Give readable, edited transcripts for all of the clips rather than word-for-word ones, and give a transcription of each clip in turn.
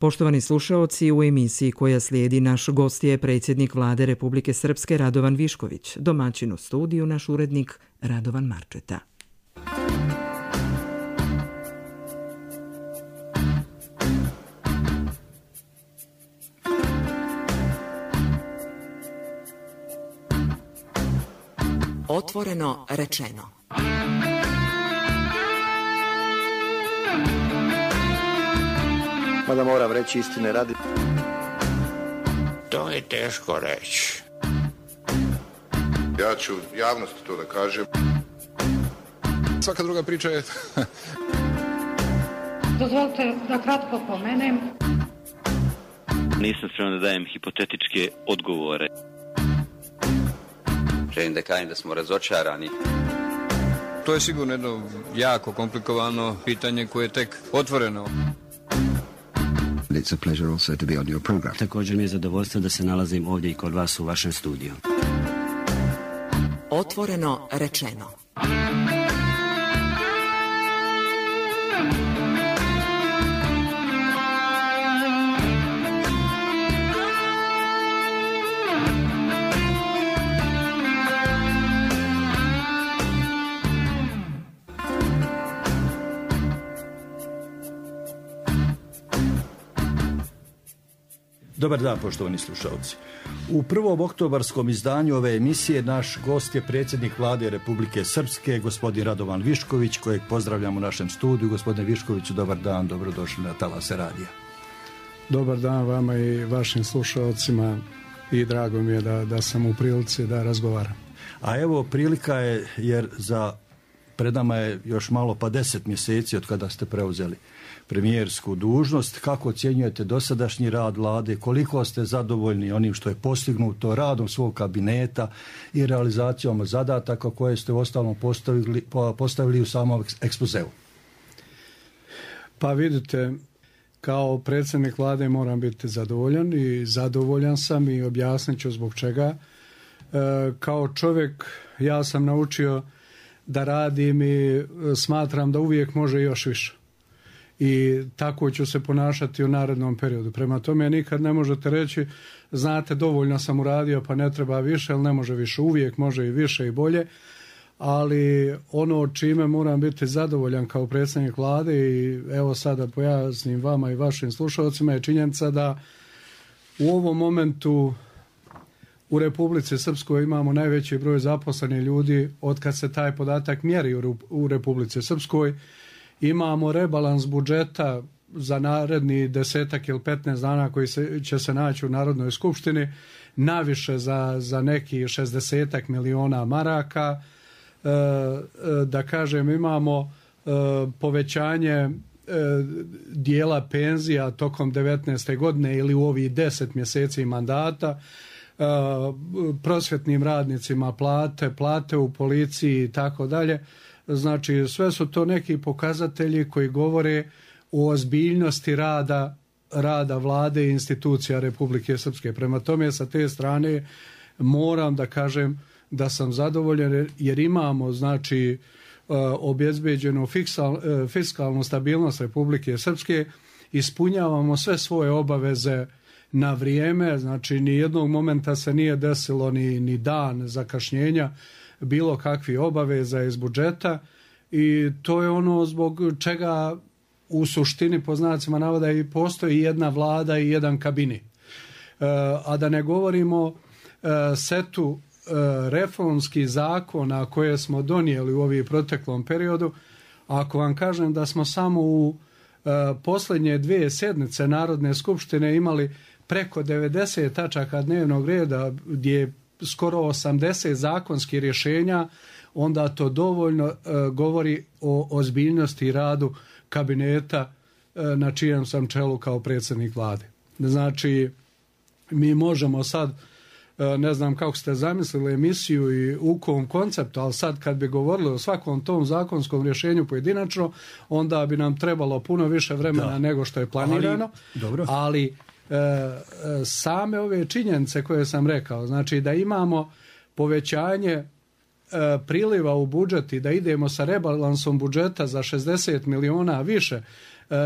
Poštovani slušaoci, u emisiji koja slijedi naš gost je predsjednik Vlade Republike Srpske Radovan Višković, domaćin u studiju naš urednik Radovan Marčeta. Otvoreno rečeno. Mada moram reći istine radi. To je teško reći. Ja ću javnosti to da kažem. Svaka druga priča je... Dozvolite da kratko pomenem. Nisam spreman da dajem hipotetičke odgovore. Želim da kažem da smo razočarani. To je sigurno jedno jako komplikovano pitanje koje je tek otvoreno. It's a pleasure also to be on your program. Također mi je zadovoljstvo da se nalazim ovdje i kod vas u vašem studiju. Otvoreno rečeno. Dobar dan, poštovani slušalci. U prvom oktobarskom izdanju ove emisije naš gost je predsjednik Vlade Republike Srpske, gospodin Radovan Višković, kojeg pozdravljam u našem studiju. Gospodine Viškoviću, dobar dan, dobrodošli na Talase radija. Dobar dan vama i vašim slušalcima i drago mi je da sam u prilici da razgovaram. A evo, prilika je jer pred nama je još malo pa 10 mjeseci od kada ste preuzeli premijersku dužnost. Kako ocjenjujete dosadašnji rad Vlade? Koliko ste zadovoljni onim što je postignuto radom svog kabineta i realizacijom zadataka koje ste uostalom postavili u samom ekspozeu? Pa vidite, kao predsjednik Vlade moram biti zadovoljan i zadovoljan sam i objasnit ću zbog čega. Kao čovjek ja sam naučio da radim i smatram da uvijek može još više. I tako ću se ponašati u narednom periodu. Prema tome nikad ne možete reći, znate, dovoljno sam uradio pa ne treba više, ali ne može više. Uvijek može i više i bolje. Ali ono čime moram biti zadovoljan kao predsjednik Vlade i evo sada pojasnim vama i vašim slušalcima je činjenica da u ovom momentu u Republici Srpskoj imamo najveći broj zaposlenih ljudi od kad se taj podatak mjeri u Republici Srpskoj. Imamo rebalans budžeta za naredni 10 ili 15 dana koji će se naći u Narodnoj skupštini, naviše za neki 60 miliona maraka. Da kažem, imamo povećanje dijela penzija tokom 19. godine ili u ovih 10 mjeseci mandata, prosvjetnim radnicima plate u policiji i tako dalje. Znači, sve su to neki pokazatelji koji govore o ozbiljnosti rada Vlade i institucija Republike Srpske. Prema tome, sa te strane moram da kažem da sam zadovoljan jer imamo, znači, obezbeđenu fiskalnu stabilnost Republike Srpske, ispunjavamo sve svoje obaveze na vrijeme, znači ni jednog momenta se nije desilo ni dan zakašnjenja bilo kakvih obaveza iz budžeta i to je ono zbog čega u suštini po znacima navoda i postoji jedna vlada i jedan kabinet. A da ne govorimo setu reformskih zakona koje smo donijeli u ovih proteklom periodu. Ako vam kažem da smo samo u posljednje 2 sjednice Narodne skupštine imali preko 90 tačaka dnevnog reda gdje je skoro 80 zakonskih rješenja, onda to dovoljno govori o ozbiljnosti i radu kabineta na čijem sam čelu kao predsjednik Vlade. Znači, mi možemo sad, ne znam kako ste zamislili emisiju i u kom konceptu, ali sad kad bi govorili o svakom tom zakonskom rješenju pojedinačno, onda bi nam trebalo puno više vremena nego što je planirano. Ali same ove činjenice koje sam rekao, znači da imamo povećanje priliva u budžet i da idemo sa rebalansom budžeta za 60 miliona više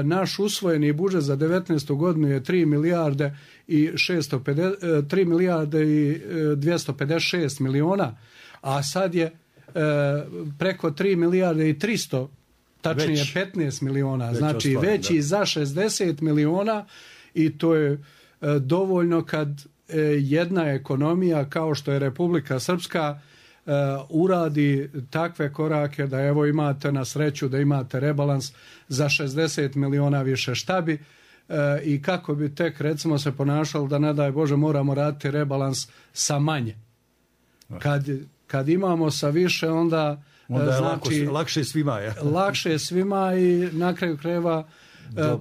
Naš usvojeni budžet za 19. godinu je 3 milijarde i 256 miliona, a sad je preko 3 milijarde i 300, tačnije 15 miliona, znači veći za 60 miliona, i to je dovoljno kad jedna ekonomija kao što je Republika Srpska uradi takve korake da evo imate na sreću da imate rebalans za 60 miliona više. Šta bi i kako bi tek recimo se ponašalo da ne daj Bože moramo raditi rebalans sa manje. Kad imamo sa više onda je znači, lakše svima. Je. Lakše svima i na kraju krajeva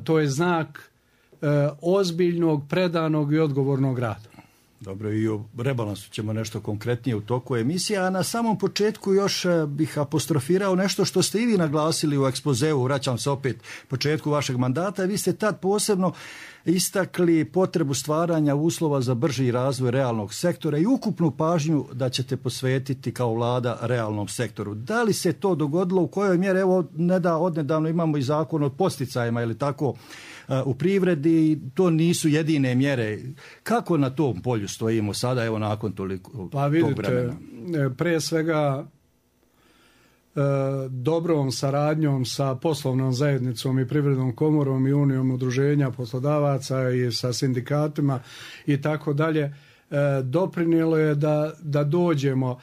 to je znak ozbiljnog, predanog i odgovornog rada. Dobro, i o rebalansu ćemo nešto konkretnije u toku emisije, a na samom početku još bih apostrofirao nešto što ste i vi naglasili u ekspozeu, vraćam se opet početku vašeg mandata, vi ste tad posebno istakli potrebu stvaranja uslova za brži razvoj realnog sektora i ukupnu pažnju da ćete posvetiti kao vlada realnom sektoru. Da li se to dogodilo, u kojoj mjeri, evo odnedavno imamo i zakon o posticajima ili tako u privredi, to nisu jedine mjere. Kako na tom polju stojimo sada, evo nakon toliko tog vremena? Pre svega dobrom saradnjom sa poslovnom zajednicom i privrednom komorom i unijom udruženja poslodavaca i sa sindikatima i tako dalje, doprinijelo je da dođemo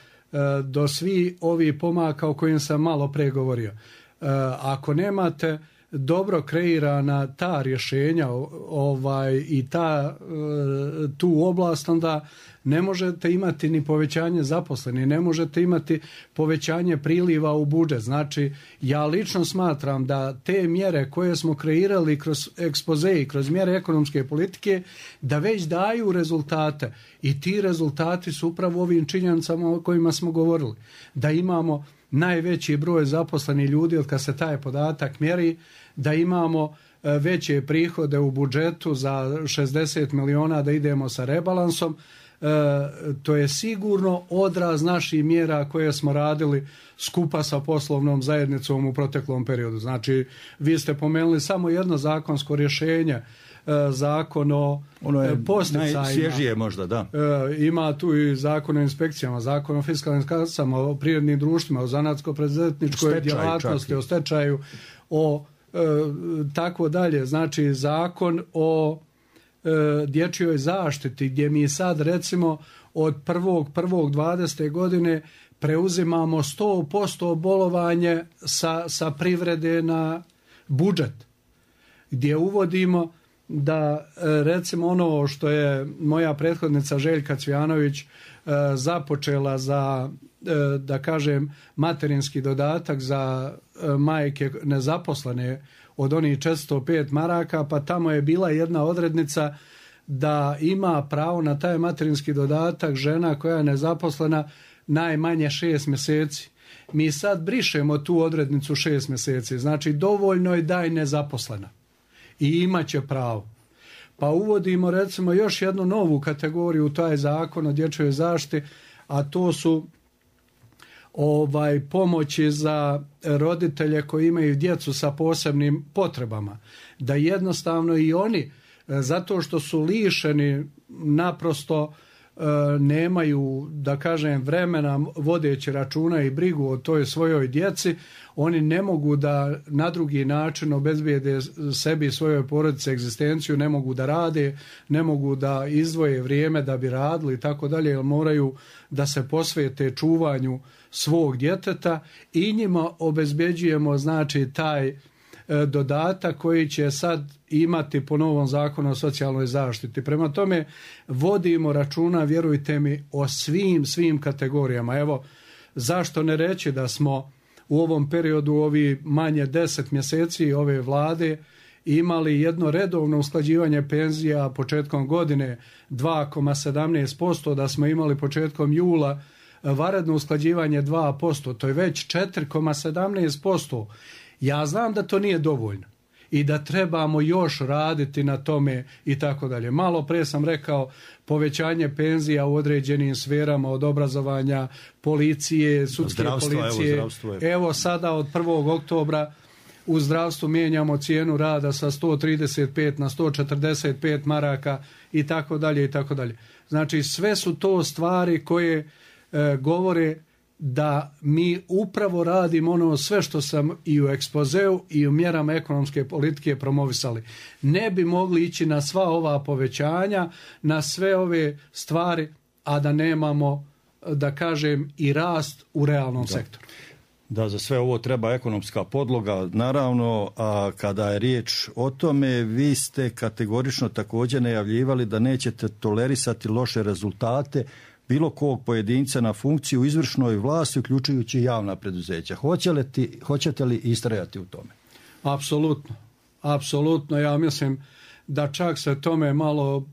do svih ovih pomaka o kojim sam malo pre govorio. Ako nemate dobro kreirana ta rješenja i tu oblast, onda ne možete imati ni povećanje zaposlenih, ne možete imati povećanje priliva u budžet. Znači, ja lično smatram da te mjere koje smo kreirali kroz ekspoze i kroz mjere ekonomske politike, da već daju rezultate. I ti rezultati su upravo ovim činjenicama o kojima smo govorili. Da imamo najveći broj zaposlenih ljudi od kad se taj podatak mjeri, da imamo veće prihode u budžetu za 60 miliona, da idemo sa rebalansom. To je sigurno odraz naših mjera koje smo radili skupa sa poslovnom zajednicom u proteklom periodu. Znači, vi ste pomenuli samo jedno zakonsko rješenje, zakon o posticajima. Najsvježije možda, da. Ima tu i zakon o inspekcijama, zakon o fiskalnim kasama, o privrednim društvima, o zanatsko-preduzetničkoj djelatnosti, o stečaju, o tako dalje. Znači, zakon o dječjoj zaštiti, gdje mi sad recimo od 1.1.20. godine preuzimamo 100% bolovanje sa privrede na budžet, gdje uvodimo da recimo ono što je moja prethodnica Željka Cvijanović započela za, da kažem, materinski dodatak za majke nezaposlene od onih 405 maraka, pa tamo je bila jedna odrednica da ima pravo na taj materinski dodatak žena koja je nezaposlena najmanje 6 mjeseci. Mi sad brišemo tu odrednicu 6 mjeseci, znači dovoljno je da je nezaposlena i imat će pravo. Pa uvodimo recimo još jednu novu kategoriju u taj zakon o dječjoj zaštiti, a to su pomoći za roditelje koji imaju djecu sa posebnim potrebama. Da jednostavno i oni, zato što su lišeni, naprosto nemaju, da kažem, vremena vodeći računa i brigu o toj svojoj djeci, oni ne mogu da na drugi način obezbijede sebi i svojoj porodici egzistenciju, ne mogu da rade, ne mogu da izdvoje vrijeme da bi radili i tako dalje, jer moraju da se posvete čuvanju svog djeteta i njima obezbeđujemo, znači, taj dodatak koji će sad imati po novom zakonu o socijalnoj zaštiti. Prema tome vodimo računa, vjerujte mi, o svim kategorijama. Evo, zašto ne reći da smo u ovom periodu, ovi manje 10 mjeseci ove vlade, imali jedno redovno usklađivanje penzija početkom godine 2,17%, da smo imali početkom jula vanredno usklađivanje 2%, to je već 4,17%. Ja znam da to nije dovoljno i da trebamo još raditi na tome i tako dalje. Malo pre sam rekao povećanje penzija u određenim sferama, od obrazovanja, policije, sudske policije. Evo sada od 1. oktobra u zdravstvu mijenjamo cijenu rada sa 135 na 145 maraka i tako dalje i tako dalje. Znači sve su to stvari koje govore da mi upravo radimo ono sve što sam i u ekspozeu i u mjerama ekonomske politike promovisali. Ne bi mogli ići na sva ova povećanja, na sve ove stvari, a da nemamo, da kažem, i rast u realnom sektoru. Da, za sve ovo treba ekonomska podloga. Naravno, a kada je riječ o tome, vi ste kategorično također najavljivali da nećete tolerisati loše rezultate bilo kog pojedinca na funkciju u izvršnoj vlasti, uključujući javna preduzeća. Hoćete li istrajati u tome? Apsolutno. Apsolutno. Ja mislim da čak se tome malo,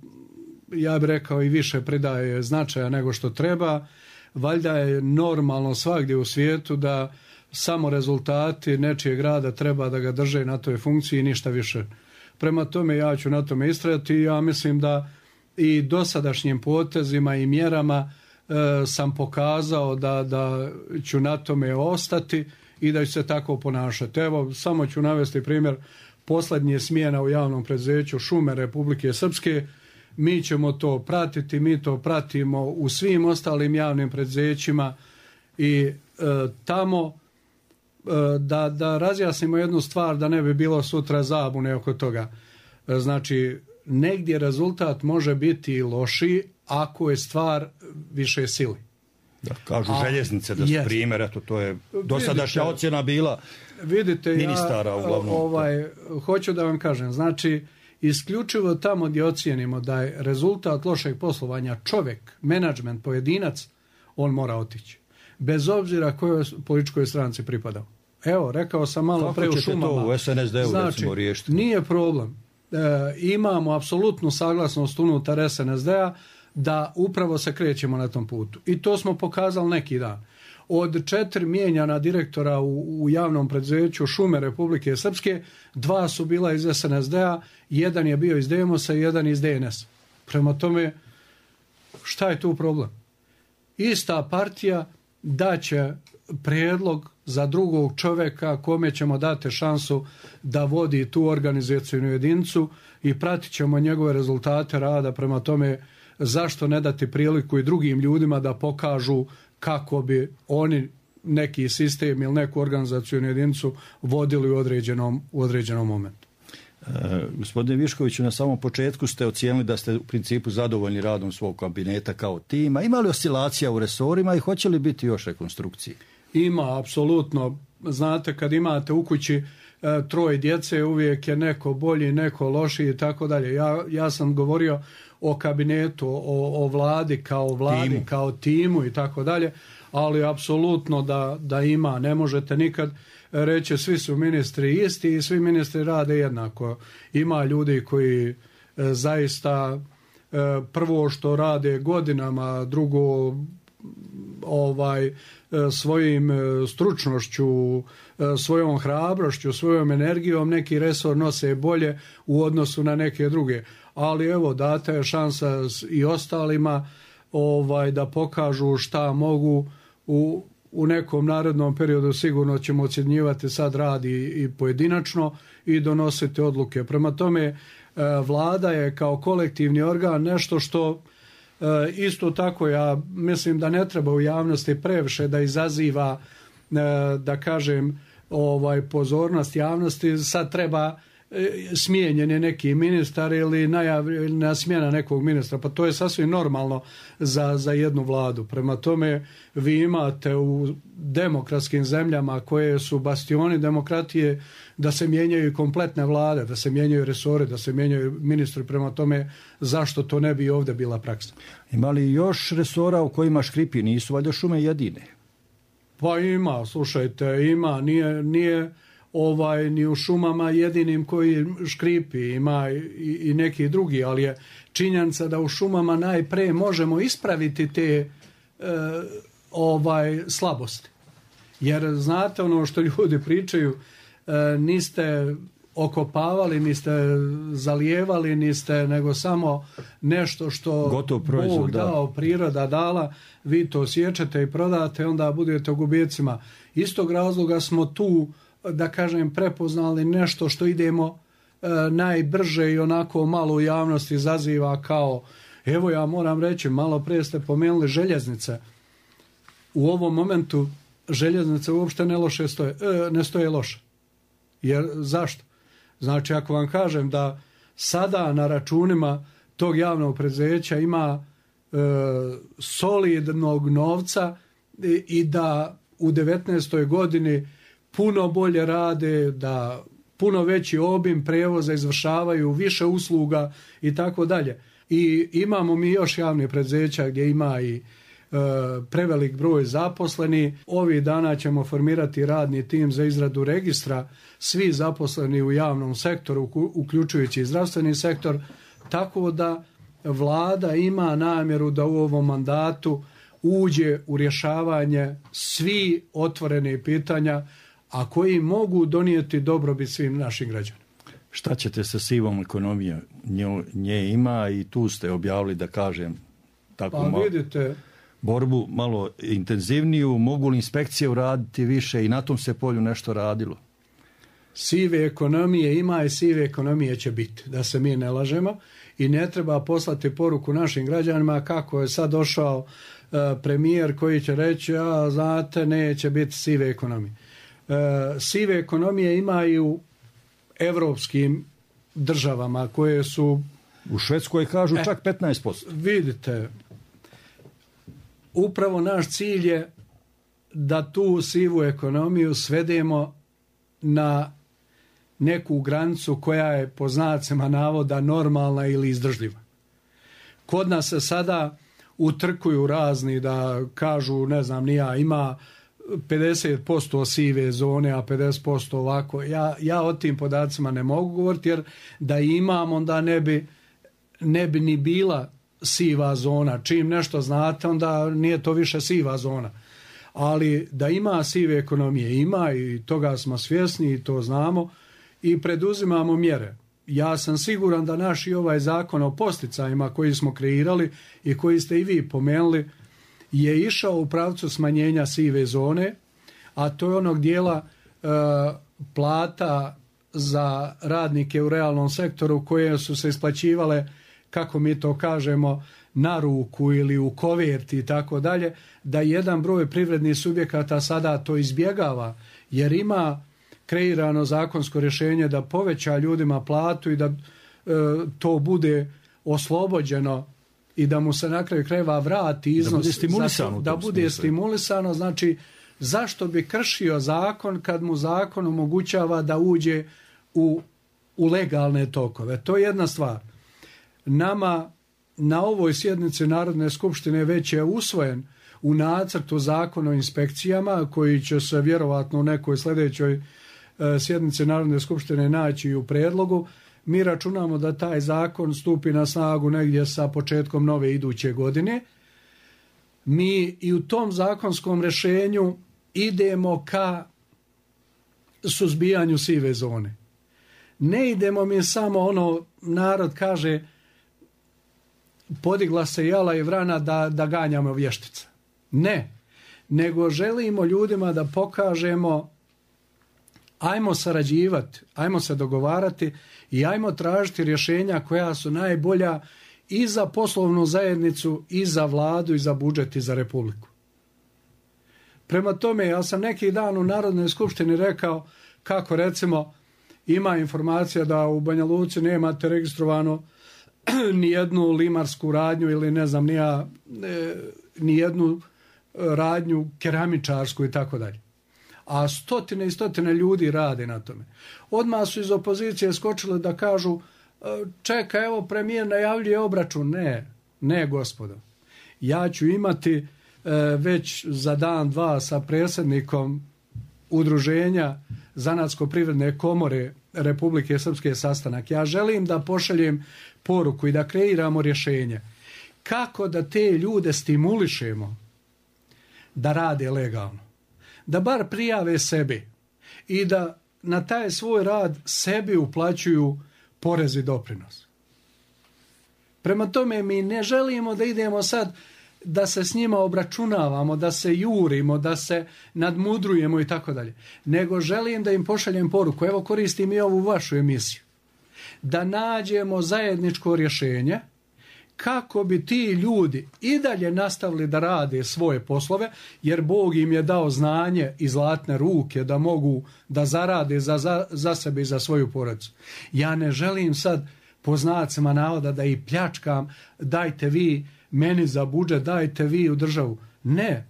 ja bih rekao, i više pridaje značaja nego što treba. Valjda je normalno svagdje u svijetu da samo rezultati nečijeg rada treba da ga drže na toj funkciji i ništa više. Prema tome ja ću na tome istrajati i ja mislim da i dosadašnjim potezima i mjerama sam pokazao da ću na tome ostati i da ću se tako ponašati. Evo, samo ću navesti primjer posljednje smjena u javnom preduzeću Šume Republike Srpske. Mi ćemo to pratiti, mi to pratimo u svim ostalim javnim preduzećima i tamo da razjasnimo jednu stvar da ne bi bilo sutra zabune oko toga. Znači, negdje rezultat može biti i lošiji ako je stvar više sili. Da, kažu željeznice da su primjer, eto to je dosadašnja ocjena bila ministara uglavnom. Hoću da vam kažem, znači isključivo tamo gdje ocijenimo da je rezultat lošeg poslovanja čovjek, menadžment, pojedinac, on mora otići. Bez obzira kojoj političkoj stranci pripadao. Evo, rekao sam malo pre u Šumama. Kako ćete to u SNSD-u znači, recimo riješiti? Nije problem. Imamo apsolutnu saglasnost unutar SNSD-a da upravo se krećemo na tom putu. I to smo pokazali neki dan. Od 4 mijenjana direktora u javnom preduzeću Šume Republike Srpske, 2 su bila iz SNSD-a, 1 je bio iz Demosa i 1 iz DNS. Prema tome, šta je tu problem? Ista partija daće prijedlog za drugog čovjeka kome ćemo dati šansu da vodi tu organizacijnu jedinicu i pratit ćemo njegove rezultate rada. Prema tome, zašto ne dati priliku i drugim ljudima da pokažu kako bi oni neki sistem ili neku organizacijnu jedinicu vodili u određenom momentu. Gospodine Viškoviću, na samom početku ste ocijenili da ste u principu zadovoljni radom svog kabineta kao tima. Ima li oscilacija u resorima i hoće li biti još rekonstrukcije? Ima, apsolutno. Znate, kad imate u kući 3 djece, uvijek je neko bolji, neko lošiji i tako dalje. Ja sam govorio o kabinetu, o vladi, kao timu i tako dalje, ali apsolutno da ima. Ne možete nikad reći svi su ministri isti i svi ministri rade jednako. Ima ljudi koji zaista prvo što rade godinama, drugo svojim stručnošću, svojom hrabrošću, svojom energijom neki resor nose bolje u odnosu na neke druge. Ali evo, data je šansa i ostalima da pokažu šta mogu u nekom narednom periodu. Sigurno ćemo ocjenjivati sad rad i pojedinačno i donositi odluke. Prema tome, vlada je kao kolektivni organ nešto što isto tako ja mislim da ne treba u javnosti previše da izaziva, da kažem, pozornost javnosti. Sad treba smijenjen je neki ministar ili najavljena smjena nekog ministra, pa to je sasvim normalno za jednu vladu. Prema tome, vi imate u demokratskim zemljama koje su bastioni demokratije da se mijenjaju kompletne vlade, da se mijenjaju resore, da se mijenjaju ministri. Prema tome, zašto to ne bi ovdje bila praksa? Ima li još resora u kojima škripi? Nisu valjda šume jedine? Pa ima, slušajte, ima, nije ni u šumama jedinim koji škripi, ima i neki drugi, ali je činjenica da u šumama najpre možemo ispraviti te slabosti. Jer znate ono što ljudi pričaju, niste okopavali, niste zalijevali, niste nego samo nešto što gotov proizvod, Bog dao, priroda dala, vi to siječete i prodate, onda budete u gubicima. Istog razloga smo tu da kažem, prepoznali nešto što idemo najbrže i onako malo u javnosti izaziva kao, evo ja moram reći, malo prije ste pomenuli željeznice. U ovom momentu željeznice uopšte ne stoje loše. Jer zašto? Znači, ako vam kažem da sada na računima tog javnog preduzeća ima solidnog novca i da u 19. godini puno bolje rade, da puno veći obim prevoza izvršavaju, više usluga i tako dalje. I imamo mi još javnih preduzeća gdje ima i prevelik broj zaposleni. Ovih dana ćemo formirati radni tim za izradu registra svi zaposleni u javnom sektoru, uključujući i zdravstveni sektor, tako da vlada ima namjeru da u ovom mandatu uđe u rješavanje svi otvorene pitanja, a koji mogu donijeti dobrobit svim našim građanima. Šta ćete sa sivom ekonomijom? Nje ima i tu ste objavili, da kažem, tako vidite, borbu malo intenzivniju. Mogu li inspekcije uraditi više i na tom se polju nešto radilo? Sive ekonomije ima i sive ekonomije će biti, da se mi ne lažemo, i ne treba poslati poruku našim građanima kako je sad došao premijer koji će reći, znate, neće biti sive ekonomije. Sive ekonomije ima i u evropskim državama koje su... U Švedskoj kažu čak 15%. Vidite, upravo naš cilj je da tu sivu ekonomiju svedemo na neku granicu koja je po znacima navoda normalna ili izdržljiva. Kod nas se sada utrkuju razni da kažu, ne znam ni ja, ima 50% sive zone, a 50% ovako. Ja o tim podacima ne mogu govoriti, jer da imam, onda ne bi ni bila siva zona. Čim nešto znate, onda nije to više siva zona. Ali da ima sive ekonomije, ima, i toga smo svjesni i to znamo i preduzimamo mjere. Ja sam siguran da naš i ovaj zakon o posticajima koji smo kreirali i koji ste i vi pomenuli je išao u pravcu smanjenja sive zone, a to je onog dijela plata za radnike u realnom sektoru koje su se isplaćivale, kako mi to kažemo, na ruku ili u koverti i tako dalje, da jedan broj privrednih subjekata sada to izbjegava, jer ima kreirano zakonsko rješenje da poveća ljudima platu i da to bude oslobođeno i da mu se na kraju krajeva vrati iznos, da bude stimulisano. Znači, zašto bi kršio zakon kad mu zakon omogućava da uđe u legalne tokove? To je jedna stvar. Nama na ovoj sjednici Narodne skupštine već je usvojen u nacrtu zakon o inspekcijama, koji će se vjerovatno u nekoj sljedećoj sjednici Narodne skupštine naći u predlogu. Mi računamo da taj zakon stupi na snagu negdje sa početkom nove iduće godine. Mi i u tom zakonskom rješenju idemo ka suzbijanju sive zone. Ne idemo mi samo ono, narod kaže, podigla se jala i vrana da ganjamo vještice. Ne, nego želimo ljudima da pokažemo, ajmo sarađivati, ajmo se dogovarati i ajmo tražiti rješenja koja su najbolja i za poslovnu zajednicu, i za vladu, i za budžet, i za republiku. Prema tome, ja sam neki dan u Narodnoj skupštini rekao kako, recimo, ima informacija da u Banja Luci nemate registrovano nijednu limarsku radnju ili ne znam nijednu radnju keramičarsku i tako dalje. A stotine i stotine ljudi rade na tome. Odmah su iz opozicije skočili da kažu, čeka, evo premijer najavljuje obračun. Ne gospodo. Ja ću imati već za dan, dva sa predsjednikom Udruženja Zanatsko-privredne komore Republike Srpske sastanak. Ja želim da pošaljem poruku i da kreiramo rješenje kako da te ljude stimulišemo da rade legalno. Da bar prijave sebi i da na taj svoj rad sebi uplaćuju porez i doprinos. Prema tome, mi ne želimo da idemo sad da se s njima obračunavamo, da se jurimo, da se nadmudrujemo i tako dalje. Nego želim da im pošaljem poruku, evo koristim i ovu vašu emisiju, da nađemo zajedničko rješenje kako bi ti ljudi i dalje nastavili da rade svoje poslove, jer Bog im je dao znanje i zlatne ruke da mogu da zarade za sebe i za svoju porodicu. Ja ne želim sad po znacima navoda da ih pljačkam, dajte vi meni za budžet, dajte vi u državu. Ne,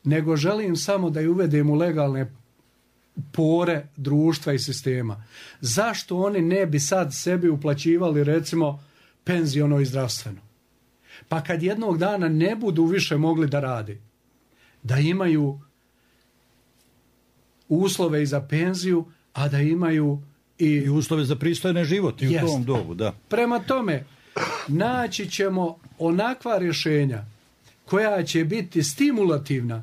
nego želim samo da ih uvedem u legalne pore društva i sistema. Zašto oni ne bi sad sebi uplaćivali recimo penziono i zdravstveno? Pa kad jednog dana ne budu više mogli da rade, da imaju uslove i za penziju, a da imaju i uslove za pristojne život i u tom dobu, da. Prema tome, naći ćemo onakva rješenja koja će biti stimulativna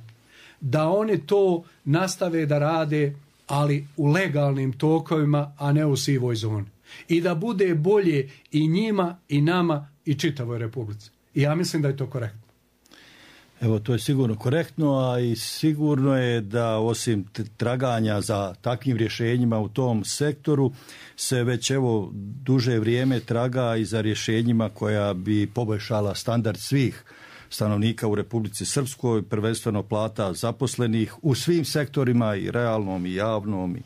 da oni to nastave da rade, ali u legalnim tokovima, a ne u sivoj zoni. I da bude bolje i njima, i nama, i čitavoj Republici. I ja mislim da je to korektno. Evo, to je sigurno korektno, a i sigurno je da osim traganja za takvim rješenjima u tom sektoru se već evo duže vrijeme traga i za rješenjima koja bi poboljšala standard svih stanovnika u Republici Srpskoj, prvenstveno plata zaposlenih u svim sektorima, i realnom i javnom i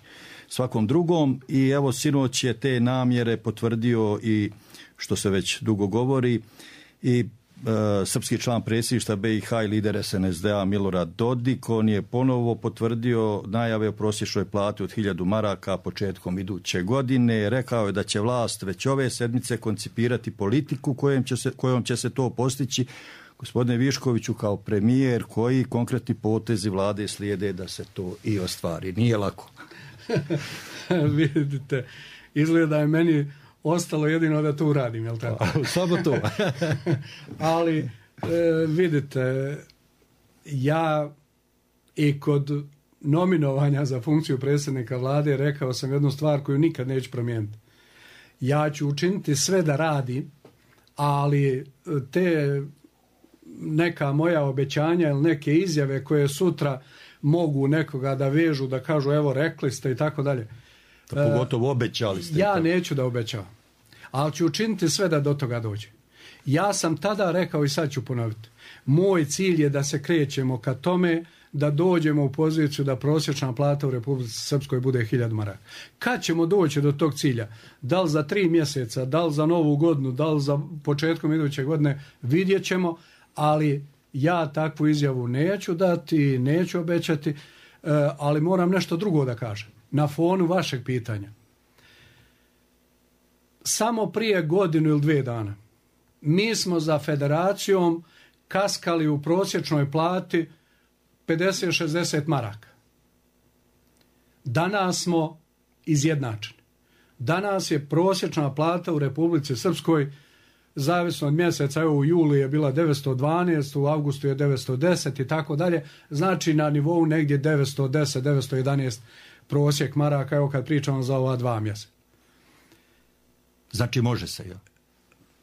svakom drugom. I evo sinoć je te namjere potvrdio i, što se već dugo govori, i srpski član predsjedništva BiH i lider SNSD-a Milorad Dodik. On je ponovo potvrdio najave o prosječnoj plati od 1000 maraka početkom iduće godine. Rekao je da će vlast već ove sedmice koncipirati politiku kojom će se to postići. Gospodine Viškoviću, kao premijer, koji konkretni potezi vlade slijede da se to i ostvari? Nije lako. Vidite, izgleda je meni ostalo jedino da to uradim, jel tako? Samo to. Ali, vidite, ja i kod nominovanja za funkciju predsjednika vlade rekao sam jednu stvar koju nikad neću promijeniti. Ja ću učiniti sve da radim, ali te neka moja obećanja ili neke izjave koje sutra mogu nekoga da vežu, da kažu evo rekli ste i tako dalje. Pogotovo obećali ste. Ja neću da obećavam, ali ću učiniti sve da do toga dođe. Ja sam tada rekao i sad ću ponoviti. Moj cilj je da se krećemo ka tome da dođemo u poziciju da prosječna plata u Republici Srpskoj bude 1000 maraka. Kad ćemo doći do tog cilja? Da li za 3 mjeseca, da li za novu godinu, da li za početkom iduće godine, vidjet ćemo, ali ja takvu izjavu neću dati, neću obećati, ali moram nešto drugo da kažem. Na fonu vašeg pitanja. Samo prije 1 ili 2 dana mi smo za federacijom kaskali u prosječnoj plati 50-60 maraka. Danas smo izjednačeni. Danas je prosječna plata u Republici Srpskoj, zavisno od mjeseca, evo u julu je bila 912, u avgustu je 910 i tako dalje, znači na nivou negdje 910-911 prosjek maraka, evo kad pričamo za ova 2 mjeseca. Znači može se, ja?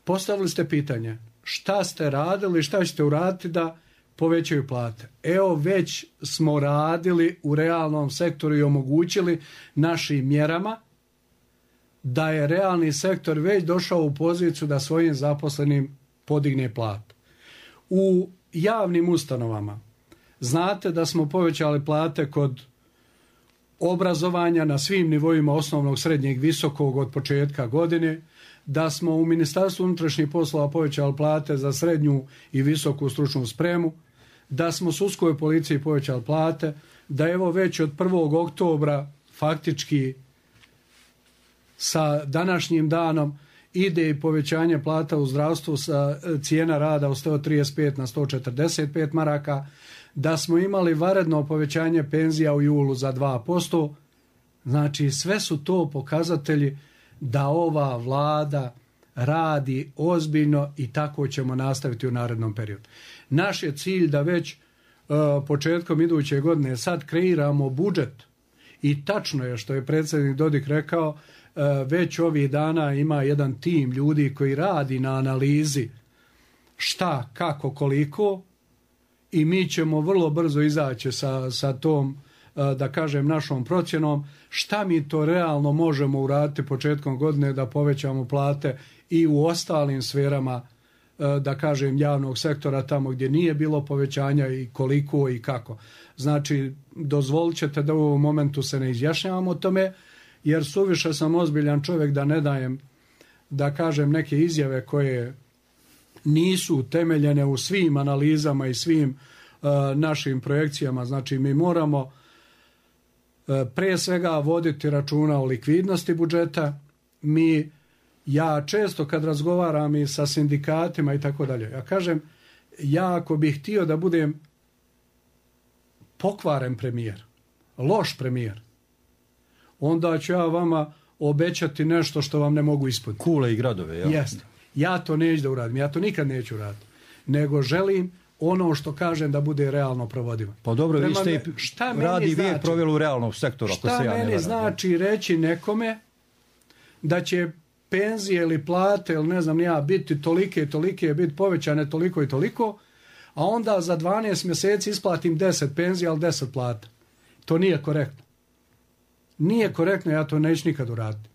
Postavili ste pitanje, šta ste radili, šta ćete uraditi da povećaju plate? Evo već smo radili u realnom sektoru i omogućili našim mjerama da je realni sektor već došao u poziciju da svojim zaposlenim podigne platu. U javnim ustanovama znate da smo povećali plate kod obrazovanja na svim nivoima osnovnog, srednjeg, visokog od početka godine, da smo u Ministarstvu unutrašnjih poslova povećali plate za srednju i visoku stručnu spremu, da smo sudskoj policiji povećali plate, da evo već od 1. oktobra faktički sa današnjim danom ide i povećanje plata u zdravstvu sa cijena rada od 135 na 145 maraka, da smo imali vanredno povećanje penzija u julu za 2%. Znači sve su to pokazatelji da ova vlada radi ozbiljno i tako ćemo nastaviti u narednom periodu. Naš je cilj da već početkom iduće godine sad kreiramo budžet i tačno je što je predsjednik Dodik rekao, već ovih dana ima jedan tim ljudi koji radi na analizi šta, kako, koliko i mi ćemo vrlo brzo izaći sa tom, da kažem, našom procjenom šta mi to realno možemo uraditi početkom godine da povećamo plate i u ostalim sferama, da kažem, javnog sektora, tamo gdje nije bilo povećanja i koliko i kako. Znači, dozvolit ćete da u ovom momentu se ne izjašnjavamo o tome, jer suviše sam ozbiljan čovjek da ne dajem, da kažem, neke izjave koje nisu utemeljene u svim analizama i svim našim projekcijama. Znači, mi moramo pre svega voditi računa o likvidnosti budžeta. Ja često kad razgovaram i sa sindikatima i tako dalje, ja kažem, ja ako bih htio da budem pokvaren premijer, loš premijer, onda ću ja vama obećati nešto što vam ne mogu ispuniti. Kule i gradove, ja. Jeste. Ja to neću da uradim, ja to nikad neću uraditi. Nego želim ono što kažem da bude realno provodivo. Pa dobro, vi ste radi vijek proveli u realnom sektoru. Šta meni znači reći nekome da će penzije ili plate ili ne znam ja biti tolike i tolike, biti povećane toliko i toliko, a onda za 12 mjeseci isplatim 10 penzija, ali 10 plata. To nije korektno. Nije korektno, ja to neću nikad uraditi.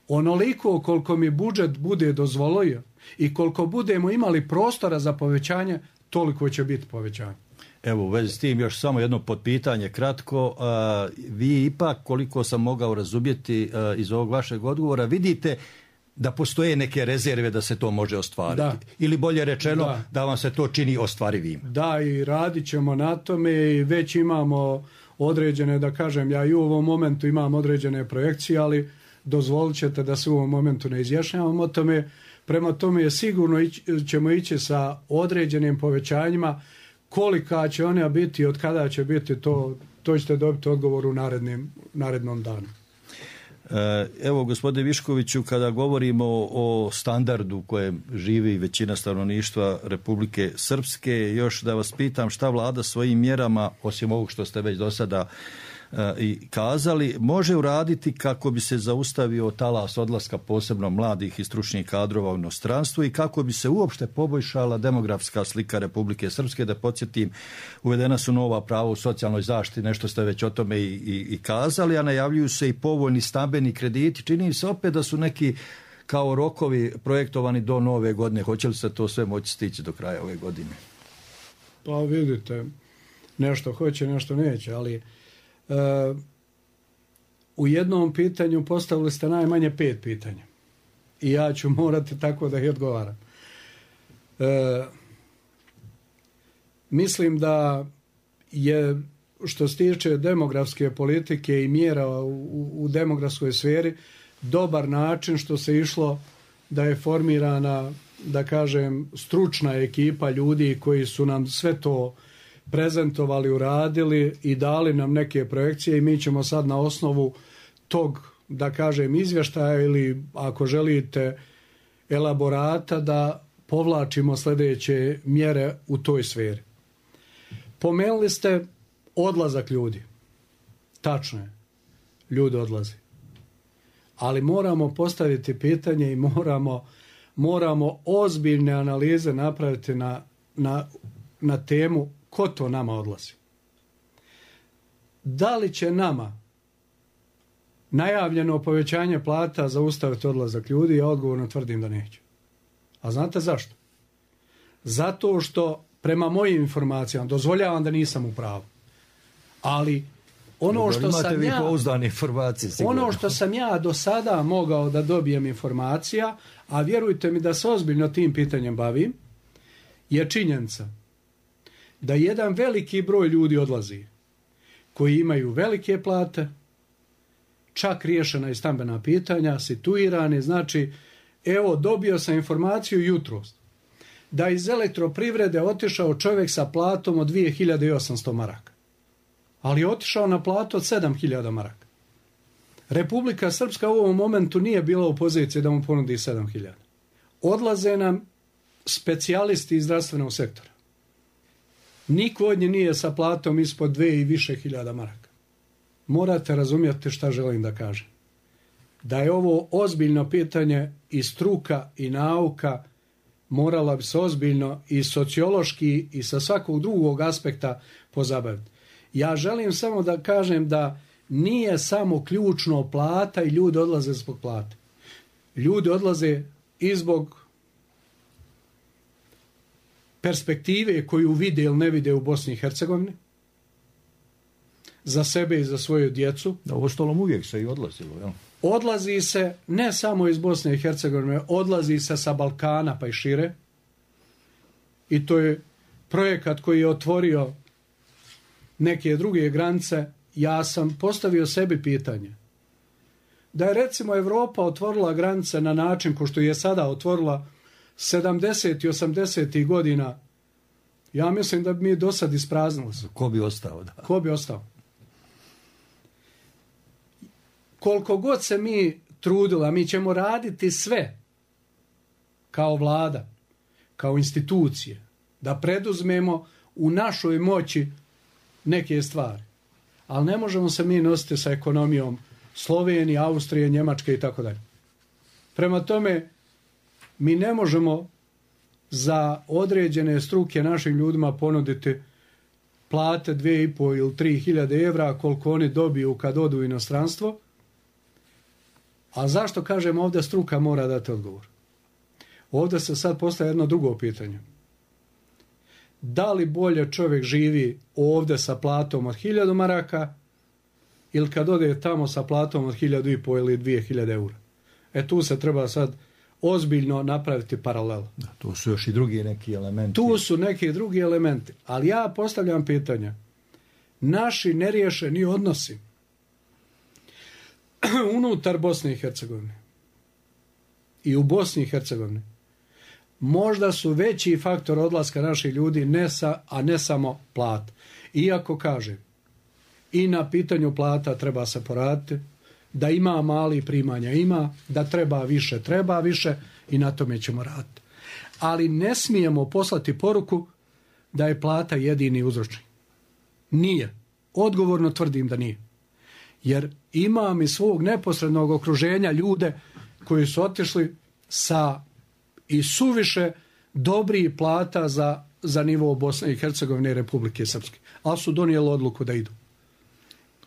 Onoliko koliko mi budžet bude dozvolio i koliko budemo imali prostora za povećanje, toliko će biti povećanje. Evo, u vezi s tim još samo jedno potpitanje kratko. Vi ipak, koliko sam mogao razumjeti iz ovog vašeg odgovora, vidite da postoje neke rezerve da se to može ostvariti. Da. Ili bolje rečeno, da vam se to čini ostvarivim. Da, i radit ćemo na tome i već imamo određene, da kažem, ja i u ovom momentu imam određene projekcije, ali dozvolit ćete da se u ovom momentu ne izjašnjavamo o tome. Prema tome sigurno ćemo ići sa određenim povećanjima. Kolika će ona biti, od kada će biti, to ćete dobiti odgovor u narednom danu. Evo, gospodine Viškoviću, kada govorimo o standardu kojem živi većina stanovništva Republike Srpske, još da vas pitam šta vlada svojim mjerama, osim ovog što ste već do sada i kazali, može uraditi kako bi se zaustavio talas odlaska posebno mladih i stručnih kadrova u inostranstvu i kako bi se uopšte poboljšala demografska slika Republike Srpske. Da podsjetim, uvedena su nova prava u socijalnoj zaštiti, nešto ste već o tome i kazali, a najavljuju se i povoljni stambeni krediti. Čini se opet da su neki kao rokovi projektovani do nove godine. Hoće li se to sve moći stići do kraja ove godine? Pa vidite, nešto hoće, nešto neće, ali u jednom pitanju postavili ste najmanje 5 pitanja i ja ću morati tako da ih odgovaram. Mislim da je, što se tiče demografske politike i mjera u demografskoj sferi, dobar način što se išlo da je formirana, da kažem, stručna ekipa ljudi koji su nam sve to prezentovali, uradili i dali nam neke projekcije i mi ćemo sad na osnovu tog, da kažem, izvještaja ili ako želite elaborata da povlačimo sljedeće mjere u toj sferi. Pomenuli ste odlazak ljudi. Tačno je, ljudi odlaze. Ali moramo postaviti pitanje i moramo ozbiljne analize napraviti na temu ko to nama odlazi. Da li će nama najavljeno povećanje plata zaustaviti odlazak ljudi? Ja odgovorno tvrdim da neće. A znate zašto? Zato što prema mojim informacijama, dozvoljavam da nisam u pravu, ali ono što sam ja do sada mogao da dobijem informacija, a vjerujte mi da se ozbiljno tim pitanjem bavim, je činjenica da jedan veliki broj ljudi odlazi koji imaju velike plate, čak riješena i stambena pitanja, situirani. Znači, evo, dobio sam informaciju jutros da iz elektroprivrede otišao čovjek sa platom od 2800 maraka. Ali je otišao na platu od 7000 maraka. Republika Srpska u ovom momentu nije bila u poziciji da mu ponudi 7000. Odlaze nam specijalisti iz zdravstvenog sektora. Niko od njih nije sa platom ispod 2 i više hiljada maraka. Morate razumjeti šta želim da kažem. Da je ovo ozbiljno pitanje i struka i nauka morala bi se ozbiljno i sociološki i sa svakog drugog aspekta pozabaviti. Ja želim samo da kažem da nije samo ključno plata i ljudi odlaze zbog plate. Ljudi odlaze i zbog perspektive koju vide ili ne vide u Bosni i Hercegovini, za sebe i za svoju djecu. Da, u ostalom uvijek se i odlazilo, jel? Odlazi se ne samo iz Bosne i Hercegovine, odlazi se sa Balkana pa i šire. I to je projekat koji je otvorio neke druge granice. Ja sam postavio sebi pitanje. Da je recimo Evropa otvorila granice na način ko što je sada otvorila 70. i 80. godina, ja mislim da bi mi do sad ispraznili se. Ko bi ostao? Da. Ko bi ostao? Koliko god se mi trudili, mi ćemo raditi sve kao vlada, kao institucije, da preduzmemo u našoj moći neke stvari. Ali ne možemo se mi nositi sa ekonomijom Slovenije, Austrije, Njemačke i tako dalje. Prema tome, mi ne možemo za određene struke našim ljudima ponuditi plate 2.500 ili 3.000 evra koliko oni dobiju kad odu u inostranstvo. A zašto kažem ovdje struka mora dati odgovor? Ovdje se sad postaje jedno drugo pitanje. Da li bolje čovjek živi ovdje sa platom od 1.000 maraka ili kad ode tamo sa platom od 1.500 ili 2.000 eura? Tu se treba sad ozbiljno napraviti paralel. Da, tu su još i drugi neki elementi. Tu su neki drugi elementi. Ali ja postavljam pitanje. Naši neriješeni odnosi unutar Bosne i Hercegovine i u Bosni i Hercegovini možda su veći faktor odlaska naših ljudi, a ne samo plat. Iako kažem, i na pitanju plata treba se poraditi, da ima mali primanja ima, da treba više i na tome ćemo raditi. Ali ne smijemo poslati poruku da je plata jedini uzročnik. Nije. Odgovorno tvrdim da nije. Jer imam iz svog neposrednog okruženja ljude koji su otišli sa i suviše dobrih plata za nivo Bosne i Hercegovine i Republike Srpske. Ali su donijeli odluku da idu.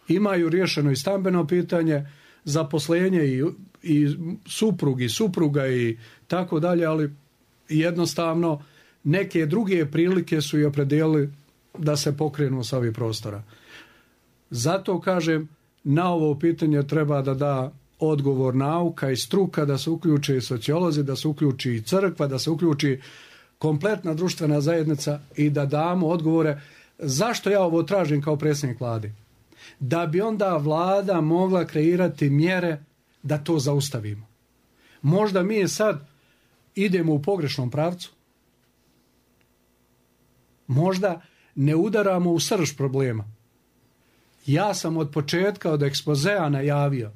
Imaju riješeno i stambeno pitanje, zaposlenje i suprug i supruga i tako dalje, ali jednostavno neke druge prilike su i opredijelili da se pokrenu sa ovih prostora. Zato kažem, na ovo pitanje treba da da odgovor nauka i struka, da se uključi i sociolozi, da se uključi i crkva, da se uključi kompletna društvena zajednica i da damo odgovore. Zašto ja ovo tražim kao predsjednik vlade? Da bi onda vlada mogla kreirati mjere da to zaustavimo. Možda mi sad idemo u pogrešnom pravcu. Možda ne udaramo u srž problema. Ja sam od početka, od ekspozea najavio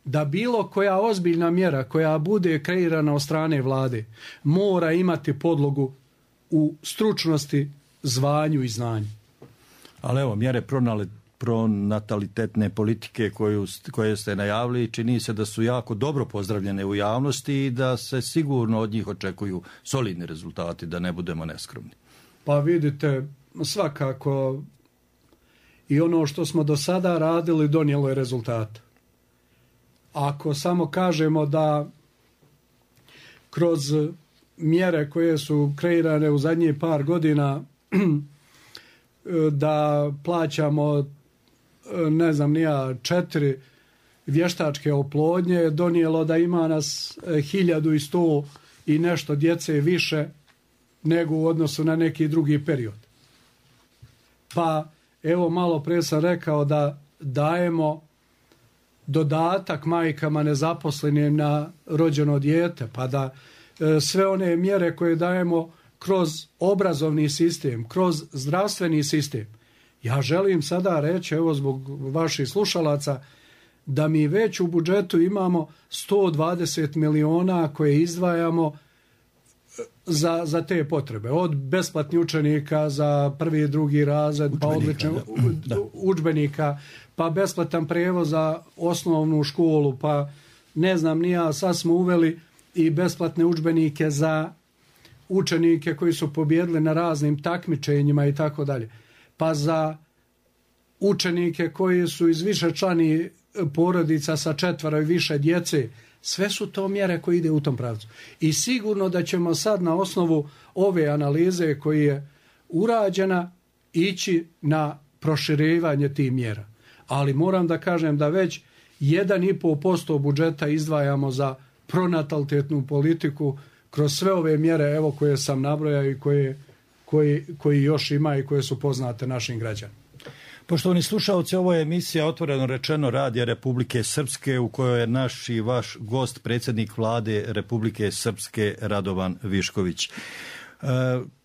da bilo koja ozbiljna mjera koja bude kreirana od strane vlade mora imati podlogu u stručnosti, zvanju i znanju. Ali evo, mjere pronatalitetne politike koje ste najavili, čini se da su jako dobro pozdravljene u javnosti i da se sigurno od njih očekuju solidni rezultati, da ne budemo neskromni. Pa vidite, svakako i ono što smo do sada radili donijelo je rezultat. Ako samo kažemo da kroz mjere koje su kreirane u zadnjih par godina da plaćamo 4 vještačke oplodnje, donijelo da ima nas 1100 i nešto djece više nego u odnosu na neki drugi period. Pa evo, malo prije sam rekao da dajemo dodatak majkama nezaposlenim na rođeno dijete, pa da sve one mjere koje dajemo kroz obrazovni sistem, kroz zdravstveni sistem. Ja želim sada reći, evo zbog vaših slušalaca, da mi već u budžetu imamo 120 miliona koje izdvajamo za te potrebe. Od besplatnih učenika za prvi i drugi razred, pa odličnih udžbenika, pa besplatan prijevoz za osnovnu školu, pa sad smo uveli i besplatne udžbenike za učenike koji su pobjedili na raznim takmičenjima i tako dalje, pa za učenike koji su iz višečlanih porodica sa 4 i više djece. Sve su to mjere koje ide u tom pravcu. I sigurno da ćemo sad na osnovu ove analize koja je urađena ići na proširivanje tih mjera. Ali moram da kažem da već 1,5% budžeta izdvajamo za pronatalitetnu politiku kroz sve ove mjere evo koje sam nabrojao i koji još ima i koje su poznate našim građanima. Poštovani slušalci, ovo je emisija Otvoreno rečeno Radija Republike Srpske u kojoj je naš i vaš gost, predsjednik vlade Republike Srpske Radovan Višković.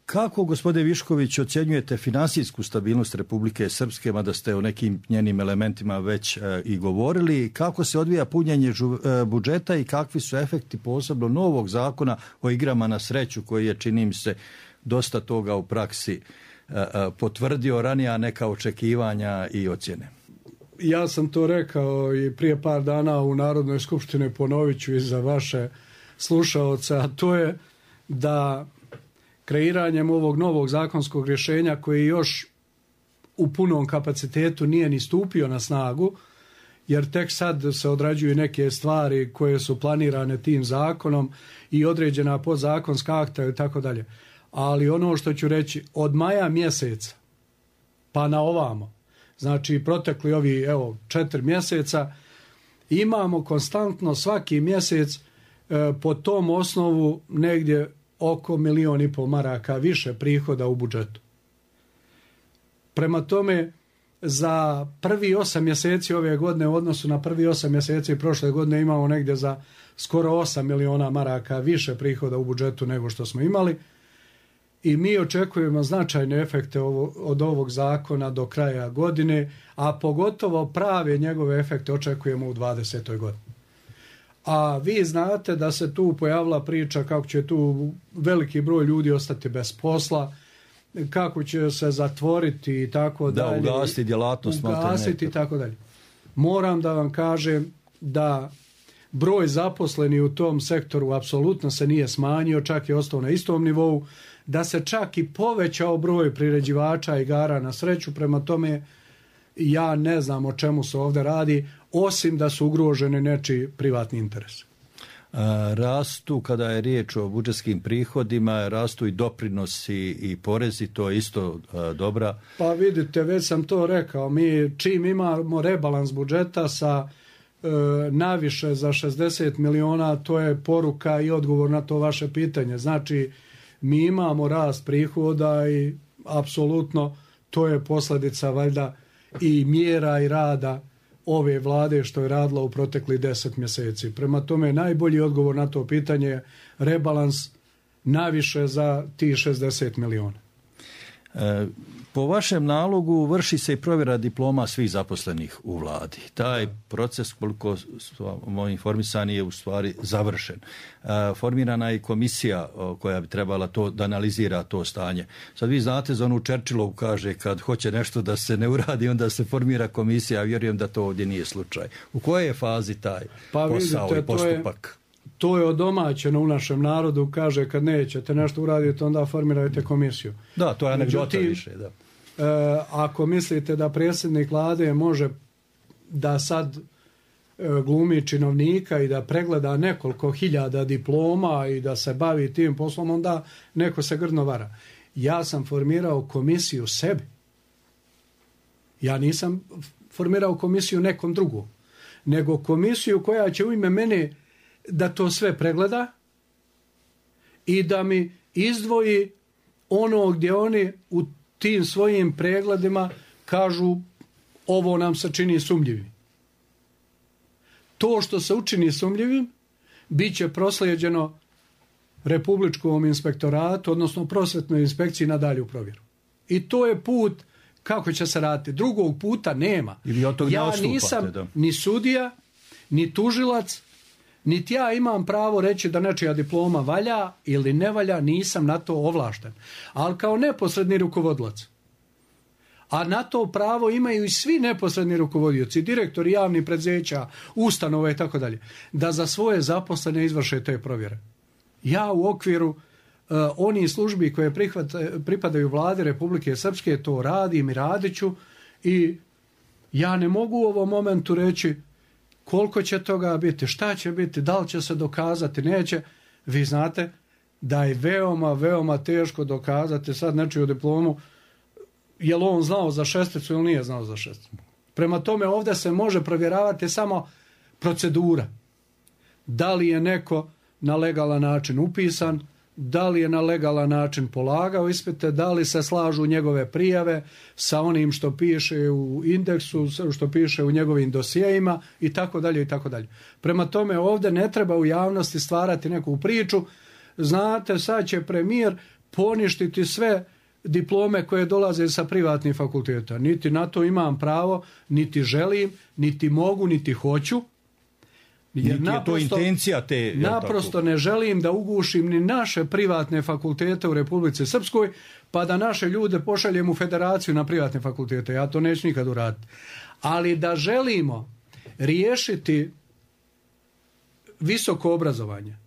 Kako, gospodine Višković, ocjenjujete finansijsku stabilnost Republike Srpske, mada ste o nekim njenim elementima već i govorili, kako se odvija punjenje budžeta i kakvi su efekti posebno novog zakona o igrama na sreću koji je, čini mi se, dosta toga u praksi potvrdio ranija neka očekivanja i ocjene? Ja sam to rekao i prije par dana u Narodnoj skupštini, ponovit ću i za vaše slušaoce, a to je da kreiranjem ovog novog zakonskog rješenja koji još u punom kapacitetu nije ni stupio na snagu, jer tek sad se odrađuju neke stvari koje su planirane tim zakonom i određena podzakonska akta i tako dalje. Ali ono što ću reći, od maja mjeseca pa na ovamo, znači protekli ovi 4 mjeseca, imamo konstantno svaki mjesec po tom osnovu negdje oko 1,5 miliona maraka više prihoda u budžetu. Prema tome, za prvi 8 mjeseci ove godine u odnosu na prvi 8 mjeseci prošle godine imamo negdje za skoro 8 miliona maraka više prihoda u budžetu nego što smo imali. I mi očekujemo značajne efekte od ovog zakona do kraja godine, a pogotovo prave njegove efekte očekujemo u 2020. godini. A vi znate da se tu pojavila priča kako će tu veliki broj ljudi ostati bez posla, kako će se zatvoriti i tako dalje. Da, ugasiti djelatnost. Ugasiti i tako dalje. Moram da vam kažem da broj zaposlenih u tom sektoru apsolutno se nije smanjio, čak je ostao na istom nivou, da se čak i povećao broj priređivača igara na sreću, prema tome ja ne znam o čemu se ovdje radi, osim da su ugroženi nečiji privatni interes. Rastu, kada je riječ o budžetskim prihodima, rastu i doprinosi i porezi, to je isto dobra. Pa vidite, već sam to rekao, mi čim imamo rebalans budžeta sa naviše za 60 miliona, to je poruka i odgovor na to vaše pitanje. Znači, mi imamo rast prihoda i apsolutno to je posljedica valjda i mjera i rada ove vlade što je radila u proteklih 10 mjeseci. Prema tome, najbolji odgovor na to pitanje je rebalans naviše za tih 60 miliona. Po vašem nalogu vrši se i provjera diploma svih zaposlenih u vladi. Taj proces, koliko smo informisani, je u stvari završen. Formirana je komisija koja bi trebala to da analizira to stanje. Sad vi znate za onu Churchillovu kaže kad hoće nešto da se ne uradi, onda se formira komisija. Ja vjerujem da to ovdje nije slučaj. U kojoj je fazi taj posao i postupak? To je odomaćeno u našem narodu, kaže kad nećete nešto uraditi, onda formirajte komisiju. Da, to je anegdota više, da. Ako mislite da predsjednik vlade može da sad glumi činovnika i da pregleda nekoliko hiljada diploma i da se bavi tim poslom, onda neko se grdno vara. Ja sam formirao komisiju sebi. Ja nisam formirao komisiju nekom drugom, nego komisiju koja će u ime mene da to sve pregleda i da mi izdvoji ono gdje oni u tim svojim pregledima kažu ovo nam se čini sumnjivim. To što se učini sumnjivim bit će proslijeđeno Republičkom inspektoratu, odnosno prosvetnoj inspekciji na dalju provjeru. I to je put kako će se raditi. Drugog puta nema. Ja nisam ni sudija, ni tužilac, niti ja imam pravo reći da nečija diploma valja ili ne valja, nisam na to ovlašten. Ali kao neposredni rukovodilac, a na to pravo imaju i svi neposredni rukovodioci, direktori javnih preduzeća, ustanova i tako dalje, da za svoje zaposlene izvrše te provjere. Ja u okviru oni službi koje pripadaju vladi Republike Srpske, to radim i radit ću i ja ne mogu u ovom momentu reći koliko će toga biti, šta će biti, da li će se dokazati, neće. Vi znate da je veoma, veoma teško dokazati sad nečiju diplomu, je li on znao za šesticu ili nije znao za šesticu. Prema tome ovdje se može provjeravati samo procedura. Da li je neko na legalan način upisan, da li je na legalan način polagao ispite, da li se slažu njegove prijave sa onim što piše u indeksu, što piše u njegovim dosijejima i tako dalje i tako dalje. Prema tome ovdje ne treba u javnosti stvarati neku priču. Znate, sad će premijer poništiti sve diplome koje dolaze sa privatnih fakulteta. Niti na to imam pravo, niti želim, niti mogu, niti hoću. Jer naprosto, je to intencija te... Naprosto ne želim da ugušim ni naše privatne fakultete u Republici Srpskoj, pa da naše ljude pošaljem u federaciju na privatne fakultete. Ja to neću nikad uraditi. Ali da želimo riješiti visoko obrazovanje,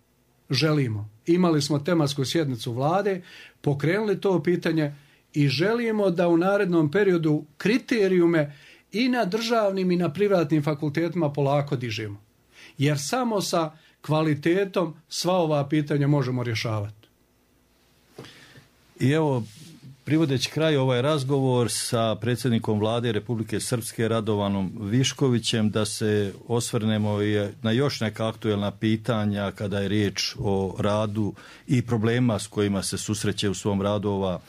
želimo. Imali smo tematsku sjednicu vlade, pokrenuli to pitanje i želimo da u narednom periodu kriterijume i na državnim i na privatnim fakultetima polako dižemo. Jer samo sa kvalitetom sva ova pitanja možemo rješavati. I evo, privodeći kraj ovaj razgovor sa predsjednikom vlade Republike Srpske Radovanom Viškovićem, da se osvrnemo na još neka aktuelna pitanja kada je riječ o radu i problema s kojima se susreće u svom radu ova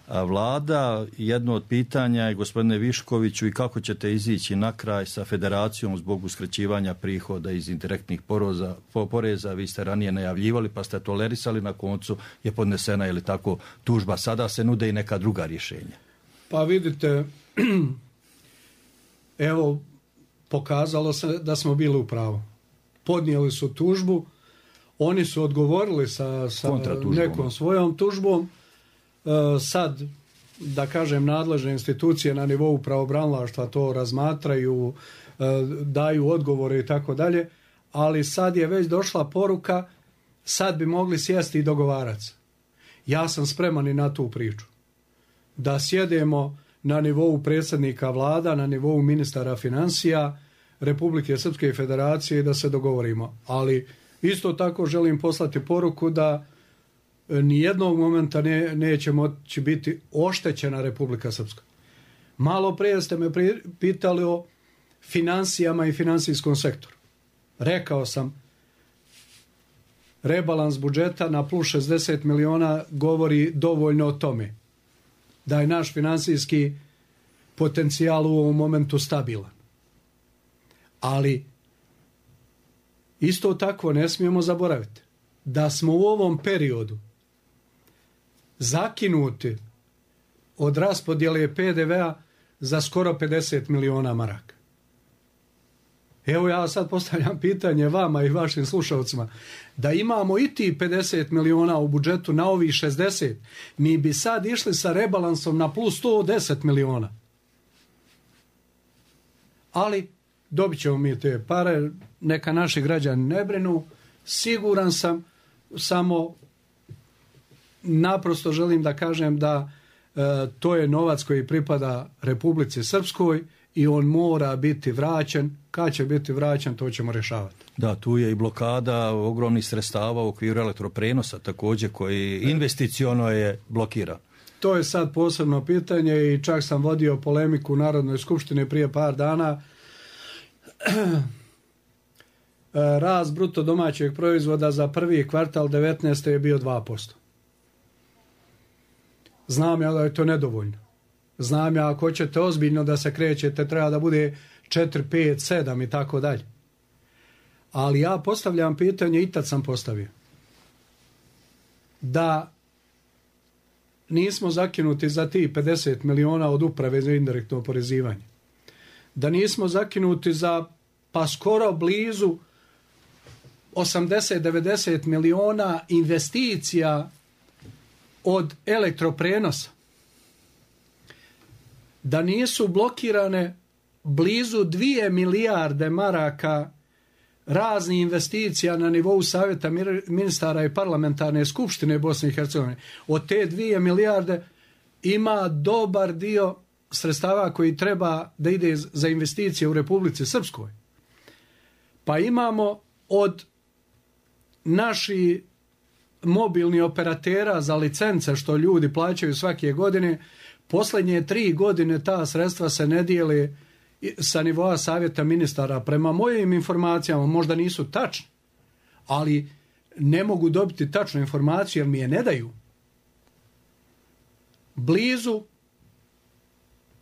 vlada. Jedno od pitanja je, gospodine Viškoviću, i kako ćete izići na kraj sa federacijom zbog uskraćivanja prihoda iz indirektnih poreza. Vi ste ranije najavljivali pa ste tolerisali, na koncu je podnesena ili tako tužba. Sada se nude i neka druga rješenja. Pa vidite, evo, pokazalo se da smo bili u pravu. Podnijeli su tužbu, oni su odgovorili sa nekom svojom tužbom. Sad, da kažem, nadležne institucije na nivou pravobranilaštva to razmatraju, daju odgovore i tako dalje, ali sad je već došla poruka, sad bi mogli sjesti i dogovarati. Ja sam spreman i na tu priču. Da sjedemo na nivou predsjednika vlada, na nivou ministara financija Republike Srpske federacije i da se dogovorimo. Ali isto tako želim poslati poruku da nijednog momenta neće moći biti oštećena Republika Srpska. Malo prije ste me pitali o financijama i financijskom sektoru. Rekao sam, rebalans budžeta na plus 60 miliona govori dovoljno o tome da je naš financijski potencijal u ovom momentu stabilan. Ali isto tako ne smijemo zaboraviti da smo u ovom periodu zakinuti od raspodjele PDV-a za skoro 50 miliona maraka. Evo ja sad postavljam pitanje vama i vašim slušalcima. Da imamo i ti 50 miliona u budžetu na ovih 60, mi bi sad išli sa rebalansom na plus 110 miliona. Ali dobit ćemo mi te pare, neka naši građani ne brinu. Siguran sam, samo naprosto želim da kažem da to je novac koji pripada Republici Srpskoj i on mora biti vraćen. Kad će biti vraćen, to ćemo rješavati. Da, tu je i blokada ogromnih sredstava u okviru elektroprenosa također, koji investiciono je blokiran. To je sad posebno pitanje i čak sam vodio polemiku u Narodnoj skupštini prije par dana. Rast bruto domaćeg proizvoda za prvi kvartal 19. je bio 2%. Znam ja da je to nedovoljno. Znam ja, ako ćete ozbiljno da se krećete, treba da bude 4, 5, 7 i tako dalje. Ali ja postavljam pitanje, i tad sam postavio, da nismo zakinuti za ti 50 miliona od uprave za indirektno oporezivanje. Da nismo zakinuti za pa skoro blizu 80-90 miliona investicija od elektroprenosa. Da nisu blokirane blizu 2 milijarde maraka raznih investicija na nivou Savjeta ministara i parlamentarne skupštine Bosne i Hercegovine. Od te 2 milijarde ima dobar dio sredstava koji treba da ide za investicije u Republici Srpskoj. Pa imamo od naših mobilnih operatera za licence što ljudi plaćaju svake godine, posljednje 3 godine ta sredstva se ne dijele sa nivoa Savjeta ministara. Prema mojim informacijama, možda nisu tačne, ali ne mogu dobiti tačnu informaciju jer mi je ne daju. Blizu,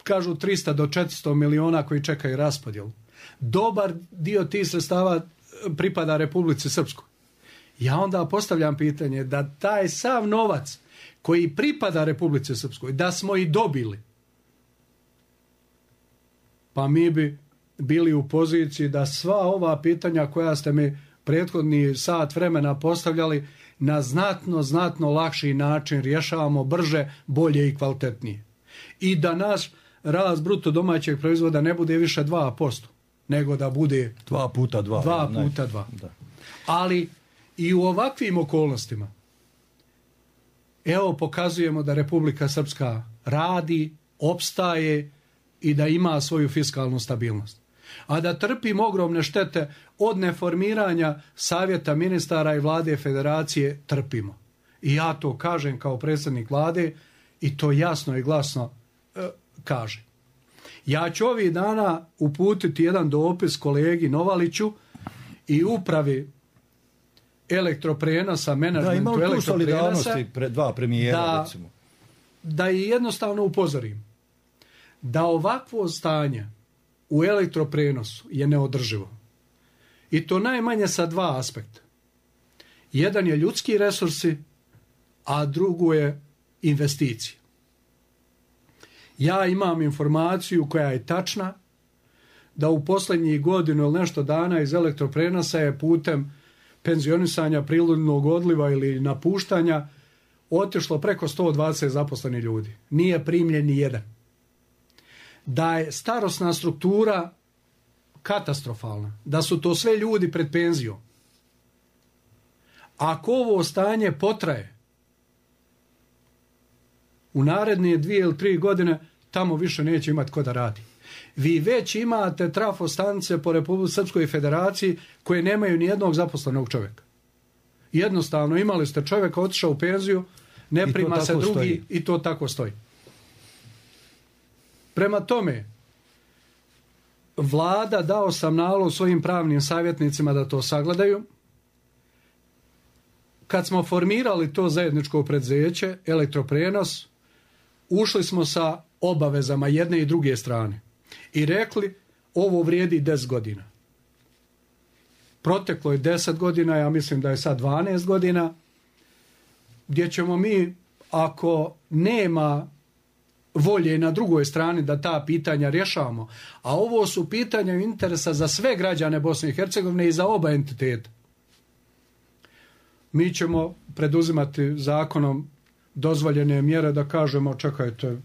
kažu 300 do 400 miliona koji čekaju raspodjelu. Dobar dio tih sredstava pripada Republici Srpskoj. Ja onda postavljam pitanje da taj sav novac koji pripada Republici Srpskoj, da smo i dobili, pa mi bi bili u poziciji da sva ova pitanja koja ste mi prethodni sat vremena postavljali na znatno lakši način rješavamo brže, bolje i kvalitetnije. I da naš rast bruto domaćeg proizvoda ne bude više 2%, nego da bude 2 puta 2. 2 puta 2. Da. Ali i u ovakvim okolnostima evo pokazujemo da Republika Srpska radi, opstaje i da ima svoju fiskalnu stabilnost. A da trpimo ogromne štete od neformiranja Savjeta ministara i Vlade Federacije trpimo. I ja to kažem kao predsjednik Vlade i to jasno i glasno kažem. Ja ću ovih dana uputiti jedan dopis kolegi Novaliću i upravi elektroprenosa, menadžmentu elektroprenosa, dva premijera, recimo. Da i jednostavno upozorim da ovakvo stanje u elektroprenosu je neodrživo. I to najmanje sa 2 aspekta. Jedan je ljudski resursi, a drugo je investicije. Ja imam informaciju koja je tačna da u posljednjih godinu ili nešto dana iz elektroprenosa je putem penzionisanja, prinudnog odliva ili napuštanja otišlo preko 120 zaposlenih ljudi. Nije primljen ni jedan. Da je starosna struktura katastrofalna, da su to sve ljudi pred penzijom. Ako ovo stanje potraje, u naredne 2 ili 3 godine tamo više neće imati ko da radi. Vi već imate trafostanice po Republici Srpskoj Federaciji koje nemaju ni jednog zaposlenog čovjeka. Jednostavno imali ste čovjeka, otišao u penziju, ne prima se drugi stoji. I to tako stoji. Prema tome, Vlada dao sam nalog svojim pravnim savjetnicima da to sagledaju. Kad smo formirali to zajedničko preduzeće, elektroprenos, ušli smo sa obavezama jedne i druge strane i rekli ovo vrijedi 10 godina. Proteklo je 10 godina, ja mislim da je sad 12 godina, gdje ćemo mi, ako nema volje na drugoj strani da ta pitanja rješavamo, a ovo su pitanja interesa za sve građane Bosne i Hercegovine i za oba entiteta, mi ćemo preduzimati zakonom dozvoljene mjere da kažemo čekajte,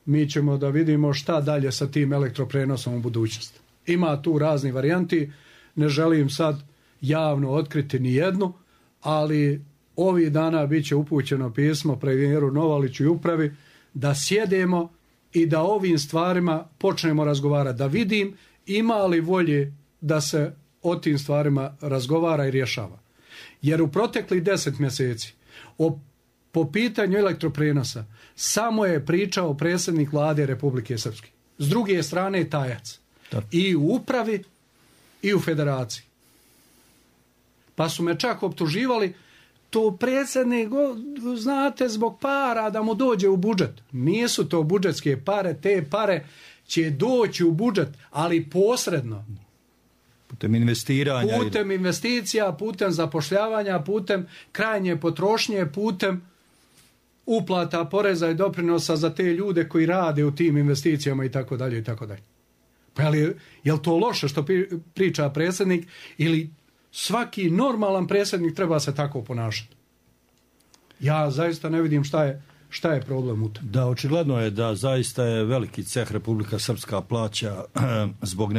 mi ćemo da vidimo šta dalje sa tim elektroprenosom u budućnosti. Ima tu razni varijanti, ne želim sad javno otkriti ni jednu, ali ovih dana bit će upućeno pismo premijeru Novaliću i upravi da sjedemo i da ovim stvarima počnemo razgovarati, da vidim ima li volje da se o tim stvarima razgovara i rješava. Jer u proteklih 10 mjeseci po pitanju elektroprenosa samo je pričao predsjednik Vlade Republike Srpske. S druge strane tajac. Da. I u upravi i u federaciji. Pa su me čak optuživali to predsjednik, znate, zbog para da mu dođe u budžet. Nisu to budžetske pare, te pare će doći u budžet, ali posredno. Putem investiranja. Putem investicija, putem zapošljavanja, putem krajnje potrošnje, putem uplata poreza i doprinosa za te ljude koji rade u tim investicijama i tako dalje i tako dalje. Pa je li to loše što priča predsjednik ili svaki normalan predsjednik treba se tako ponašati? Ja zaista ne vidim šta je šta je problem u tom? Da, očigledno je da zaista je veliki ceh Republika Srpska plaća zbog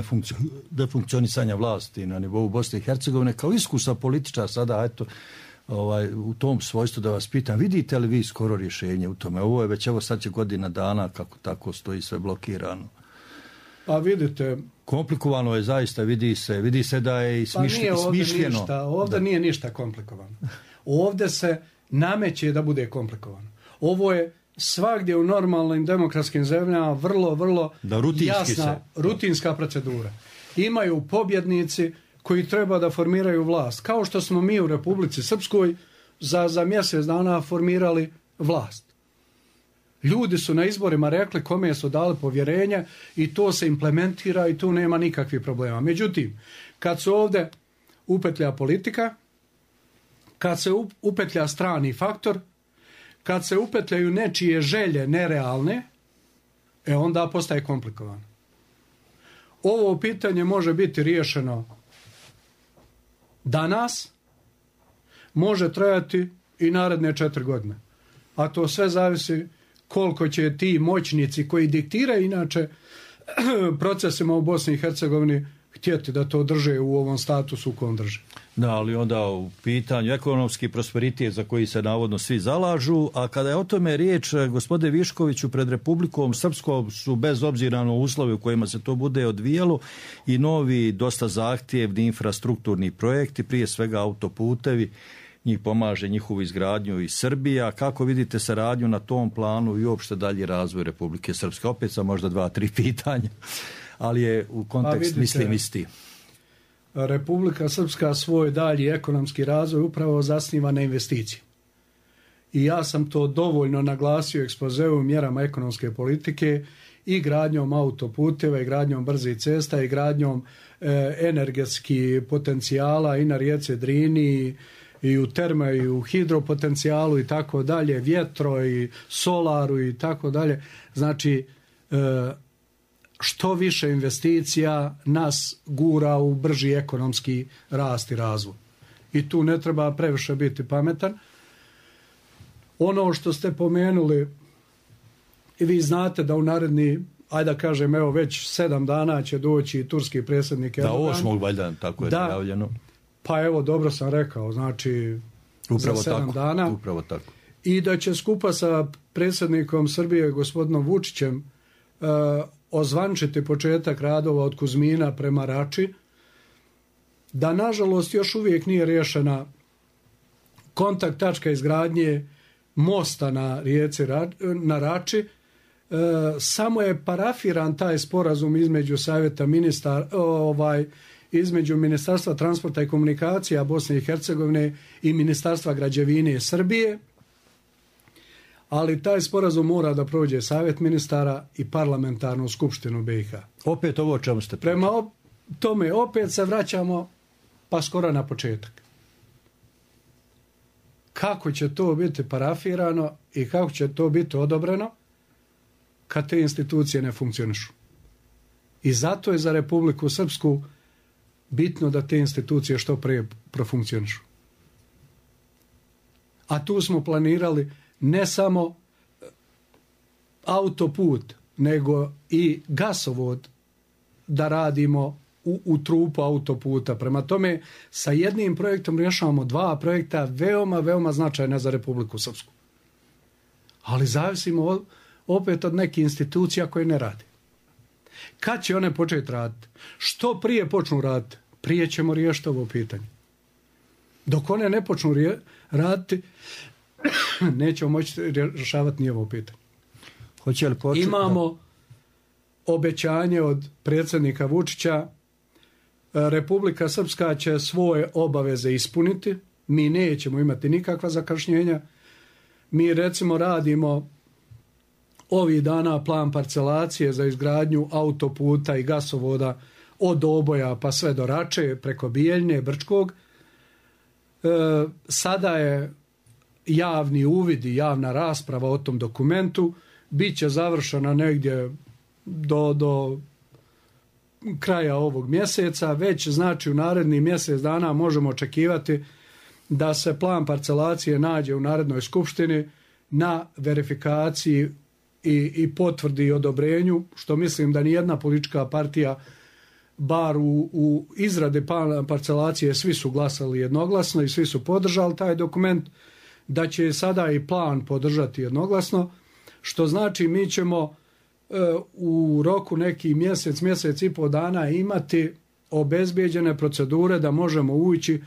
nefunkcionisanja vlasti na nivou Bosne i Hercegovine. Kao iskusan političar sada, eto, u tom svojstvu da vas pitam, vidite li vi skoro rješenje u tome? Ovo je već, evo sad će godina dana kako tako stoji sve blokirano. Pa vidite... Komplikovano je zaista, vidi se da je smišljeno. Ovdje nije ništa komplikovano. Ovdje se nameće da bude komplikovano. Ovo je svagdje u normalnim demokratskim zemljama vrlo jasna rutinska procedura. Imaju pobjednici koji treba da formiraju vlast. Kao što smo mi u Republici Srpskoj za mjesec dana formirali vlast. Ljudi su na izborima rekli kome su dali povjerenje i to se implementira i tu nema nikakvih problema. Međutim, kad se ovdje upetlja politika, kad se upetlja strani faktor, kad se upetljaju nečije želje nerealne, onda postaje komplikovano. Ovo pitanje može biti riješeno danas, može trajati i naredne 4 godine. A to sve zavisi koliko će ti moćnici koji diktiraju inače procesima u Bosni i Hercegovini htjeti da to drže u ovom statusu u kojem drže. Da, ali onda u pitanju ekonomski prosperitet za koji se navodno svi zalažu, a kada je o tome riječ, gospodine Viškoviću, pred Republikom Srpskom su bez obzira na uslove u kojima se to bude odvijalo i novi dosta zahtjevni infrastrukturni projekti, prije svega autoputevi, njih pomaže njihovu izgradnju i Srbija. Kako vidite saradnju na tom planu i uopšte dalji razvoj Republike Srpske? Opet sam možda 2-3 pitanja, ali je u kontekst mislim isti. Republika Srpska svoj dalji ekonomski razvoj upravo zasniva na investiciji. I ja sam to dovoljno naglasio u ekspozeu mjerama ekonomske politike i gradnjom autoputeva i gradnjom brzih cesta i gradnjom energetskih potencijala i na rijeci Drini i u terme i u hidropotencijalu i tako dalje, vjetro i solaru i tako dalje. Znači, što više investicija nas gura u brži ekonomski rast i razvoj. I tu ne treba previše biti pametan. Ono što ste pomenuli, i vi znate da u naredni, ajde da kažem, evo već 7 dana će doći turski predsjednik Erdogan. Da, 8. valjda, tako je najavljeno. Pa evo, dobro sam rekao, znači upravo za 7 dana. Upravo tako. I da će skupa sa predsjednikom Srbije, gospodinom Vučićem, ozvančiti početak radova od Kuzmina prema Rači, da nažalost još uvijek nije riješena kontakt tačka izgradnje mosta na rijeci na Rači. Samo je parafiran taj sporazum između savjeta između Ministarstva transporta i komunikacija Bosne i Hercegovine i Ministarstva građevine Srbije, ali taj sporazum mora da prođe savjet ministara i parlamentarnu skupštinu BiH. Opet ovo o čemu ste pričali? Prema tome opet se vraćamo pa skoro na početak. Kako će to biti parafirano i kako će to biti odobreno kad te institucije ne funkcionišu? I zato je za Republiku Srpsku bitno da te institucije što prije profunkcionišu. A tu smo planirali ne samo autoput, nego i gasovod da radimo u trupu autoputa. Prema tome, sa jednim projektom rješavamo 2 projekta veoma značajna za Republiku Srpsku. Ali zavisimo opet od nekih institucija koje ne rade. Kad će one početi raditi? Što prije počnu raditi, prije ćemo riješiti ovo pitanje. Dok one ne počnu raditi, nećemo moći rješavati ni ovo pitanje. Imamo obećanje od predsjednika Vučića, Republika Srpska će svoje obaveze ispuniti, mi nećemo imati nikakva zakašnjenja. Mi recimo radimo ovih dana plan parcelacije za izgradnju autoputa i gasovoda od Oboja pa sve do Rače, preko Bijeljne, Brčkog. Sada je javni uvid i javna rasprava o tom dokumentu. Biće završena negdje do kraja ovog mjeseca. Već znači u naredni mjesec dana možemo očekivati da se plan parcelacije nađe u Narodnoj skupštini na verifikaciji i potvrdi i odobrenju, što mislim da nijedna politička partija, bar u izrade plana parcelacije, svi su glasali jednoglasno i svi su podržali taj dokument, da će sada i plan podržati jednoglasno, što znači mi ćemo u roku neki mjesec i pol dana imati obezbijeđene procedure da možemo ući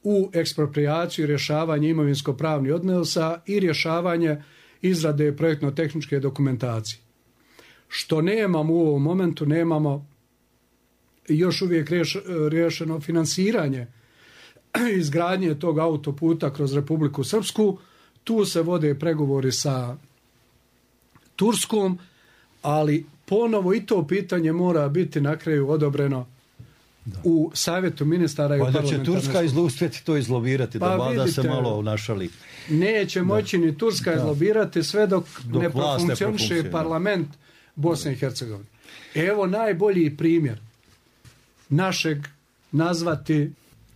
u eksproprijaciju i rješavanje imovinsko-pravnih odnosa i rješavanje izrade projektno-tehničke dokumentacije. Što nemamo u ovom momentu, nemamo još uvijek riješeno finansiranje izgradnje tog autoputa kroz Republiku Srpsku. Tu se vode pregovori sa Turskom, ali ponovo i to pitanje mora biti na kraju odobreno u savjetu ministara i u parlamentarnoj skupštini. Pa da će Turska uspjeti to izlobirati, da vlada se malo našali. Neće moći ni Turska izlobirati sve dok ne profunkcioniše parlament Bosne i Hercegovine. Evo najbolji primjer našeg, nazvati,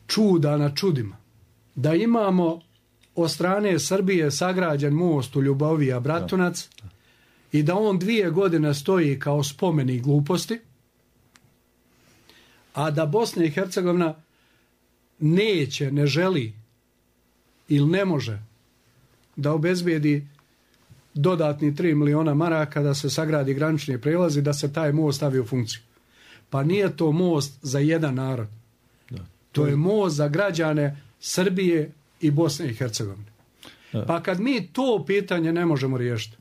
čuda na čudima. Da imamo od strane Srbije sagrađen most u Ljubovija Bratunac i da on 2 godine stoji kao spomenik gluposti, a da Bosna i Hercegovina neće, ne želi ili ne može da obezbijedi dodatni 3 miliona maraka da se sagradi granični prijelaz i da se taj most stavi u funkciju. Pa nije to most za jedan narod. To je most za građane Srbije i Bosne i Hercegovine. Pa kad mi to pitanje ne možemo riješiti,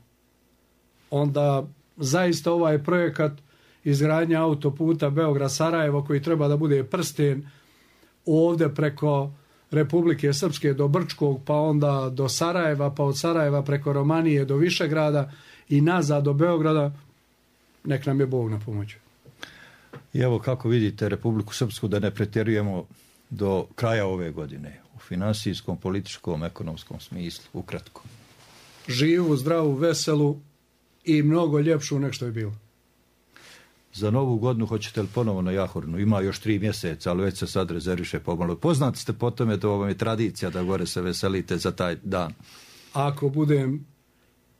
onda zaista ovaj projekat izgradnje autoputa Beograd-Sarajevo, koji treba da bude prsten ovdje preko Republike Srpske do Brčkog, pa onda do Sarajeva, pa od Sarajeva preko Romanije do Višegrada i nazad do Beograda, nek nam je Bog na pomoći. I evo kako vidite Republiku Srpsku, da ne pretjerujemo, do kraja ove godine u finansijskom, političkom, ekonomskom smislu, ukratko. Živu, zdravu, veselu i mnogo ljepšu nek što je bilo. Za novu godinu hoćete li ponovo na Jahorinu? Ima još 3 mjeseca, ali već se sad rezerviše pomalo. Poznati ste po tome, to vam je tradicija da gore se veselite za taj dan. Ako budem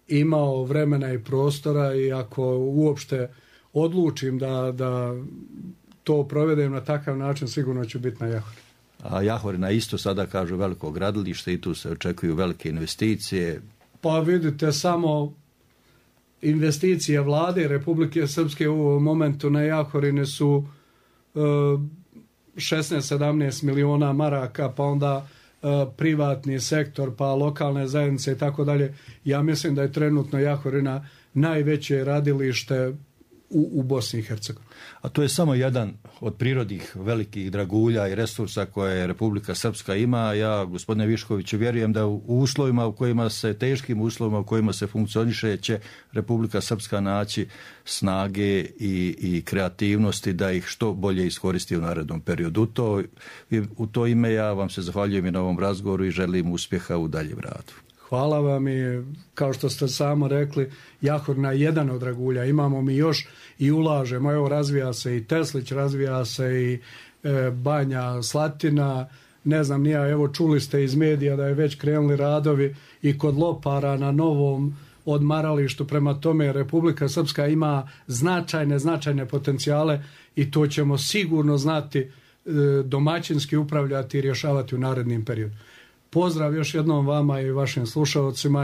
imao vremena i prostora i ako uopšte odlučim da to provedem na takav način, sigurno ću biti na Jahorinu. A Jahorina isto sada kažu veliko gradilište i tu se očekuju velike investicije. Pa vidite, samo investicije vlade Republike Srpske u ovom momentu na Jahorine su 16-17 miliona maraka, pa onda privatni sektor, pa lokalne zajednice i tako dalje. Ja mislim da je trenutno Jahorina najveće radilište u Bosni i Hercegovini. A to je samo jedan od prirodnih velikih dragulja i resursa koje Republika Srpska ima. Ja, gospodine Viškoviću, vjerujem da u uslovima u kojima se, teškim uslovima u kojima se funkcioniše, će Republika Srpska naći snage i kreativnosti da ih što bolje iskoristi u narednom periodu. U to ime ja vam se zahvaljujem i na ovom razgovoru i želim uspjeha u daljem radu. Hvala vam i kao što ste samo rekli, Jahorina je jedan od dragulja. Imamo mi još i ulažemo. Evo, razvija se i Teslić, razvija se i Banja Slatina. Ne znam, evo čuli ste iz medija da je već krenuli radovi i kod Lopara na novom odmaralištu. Prema tome, Republika Srpska ima značajne potencijale i to ćemo sigurno znati domaćinski upravljati i rješavati u narednim periodu. Pozdrav još jednom vama i vašim slušalcima.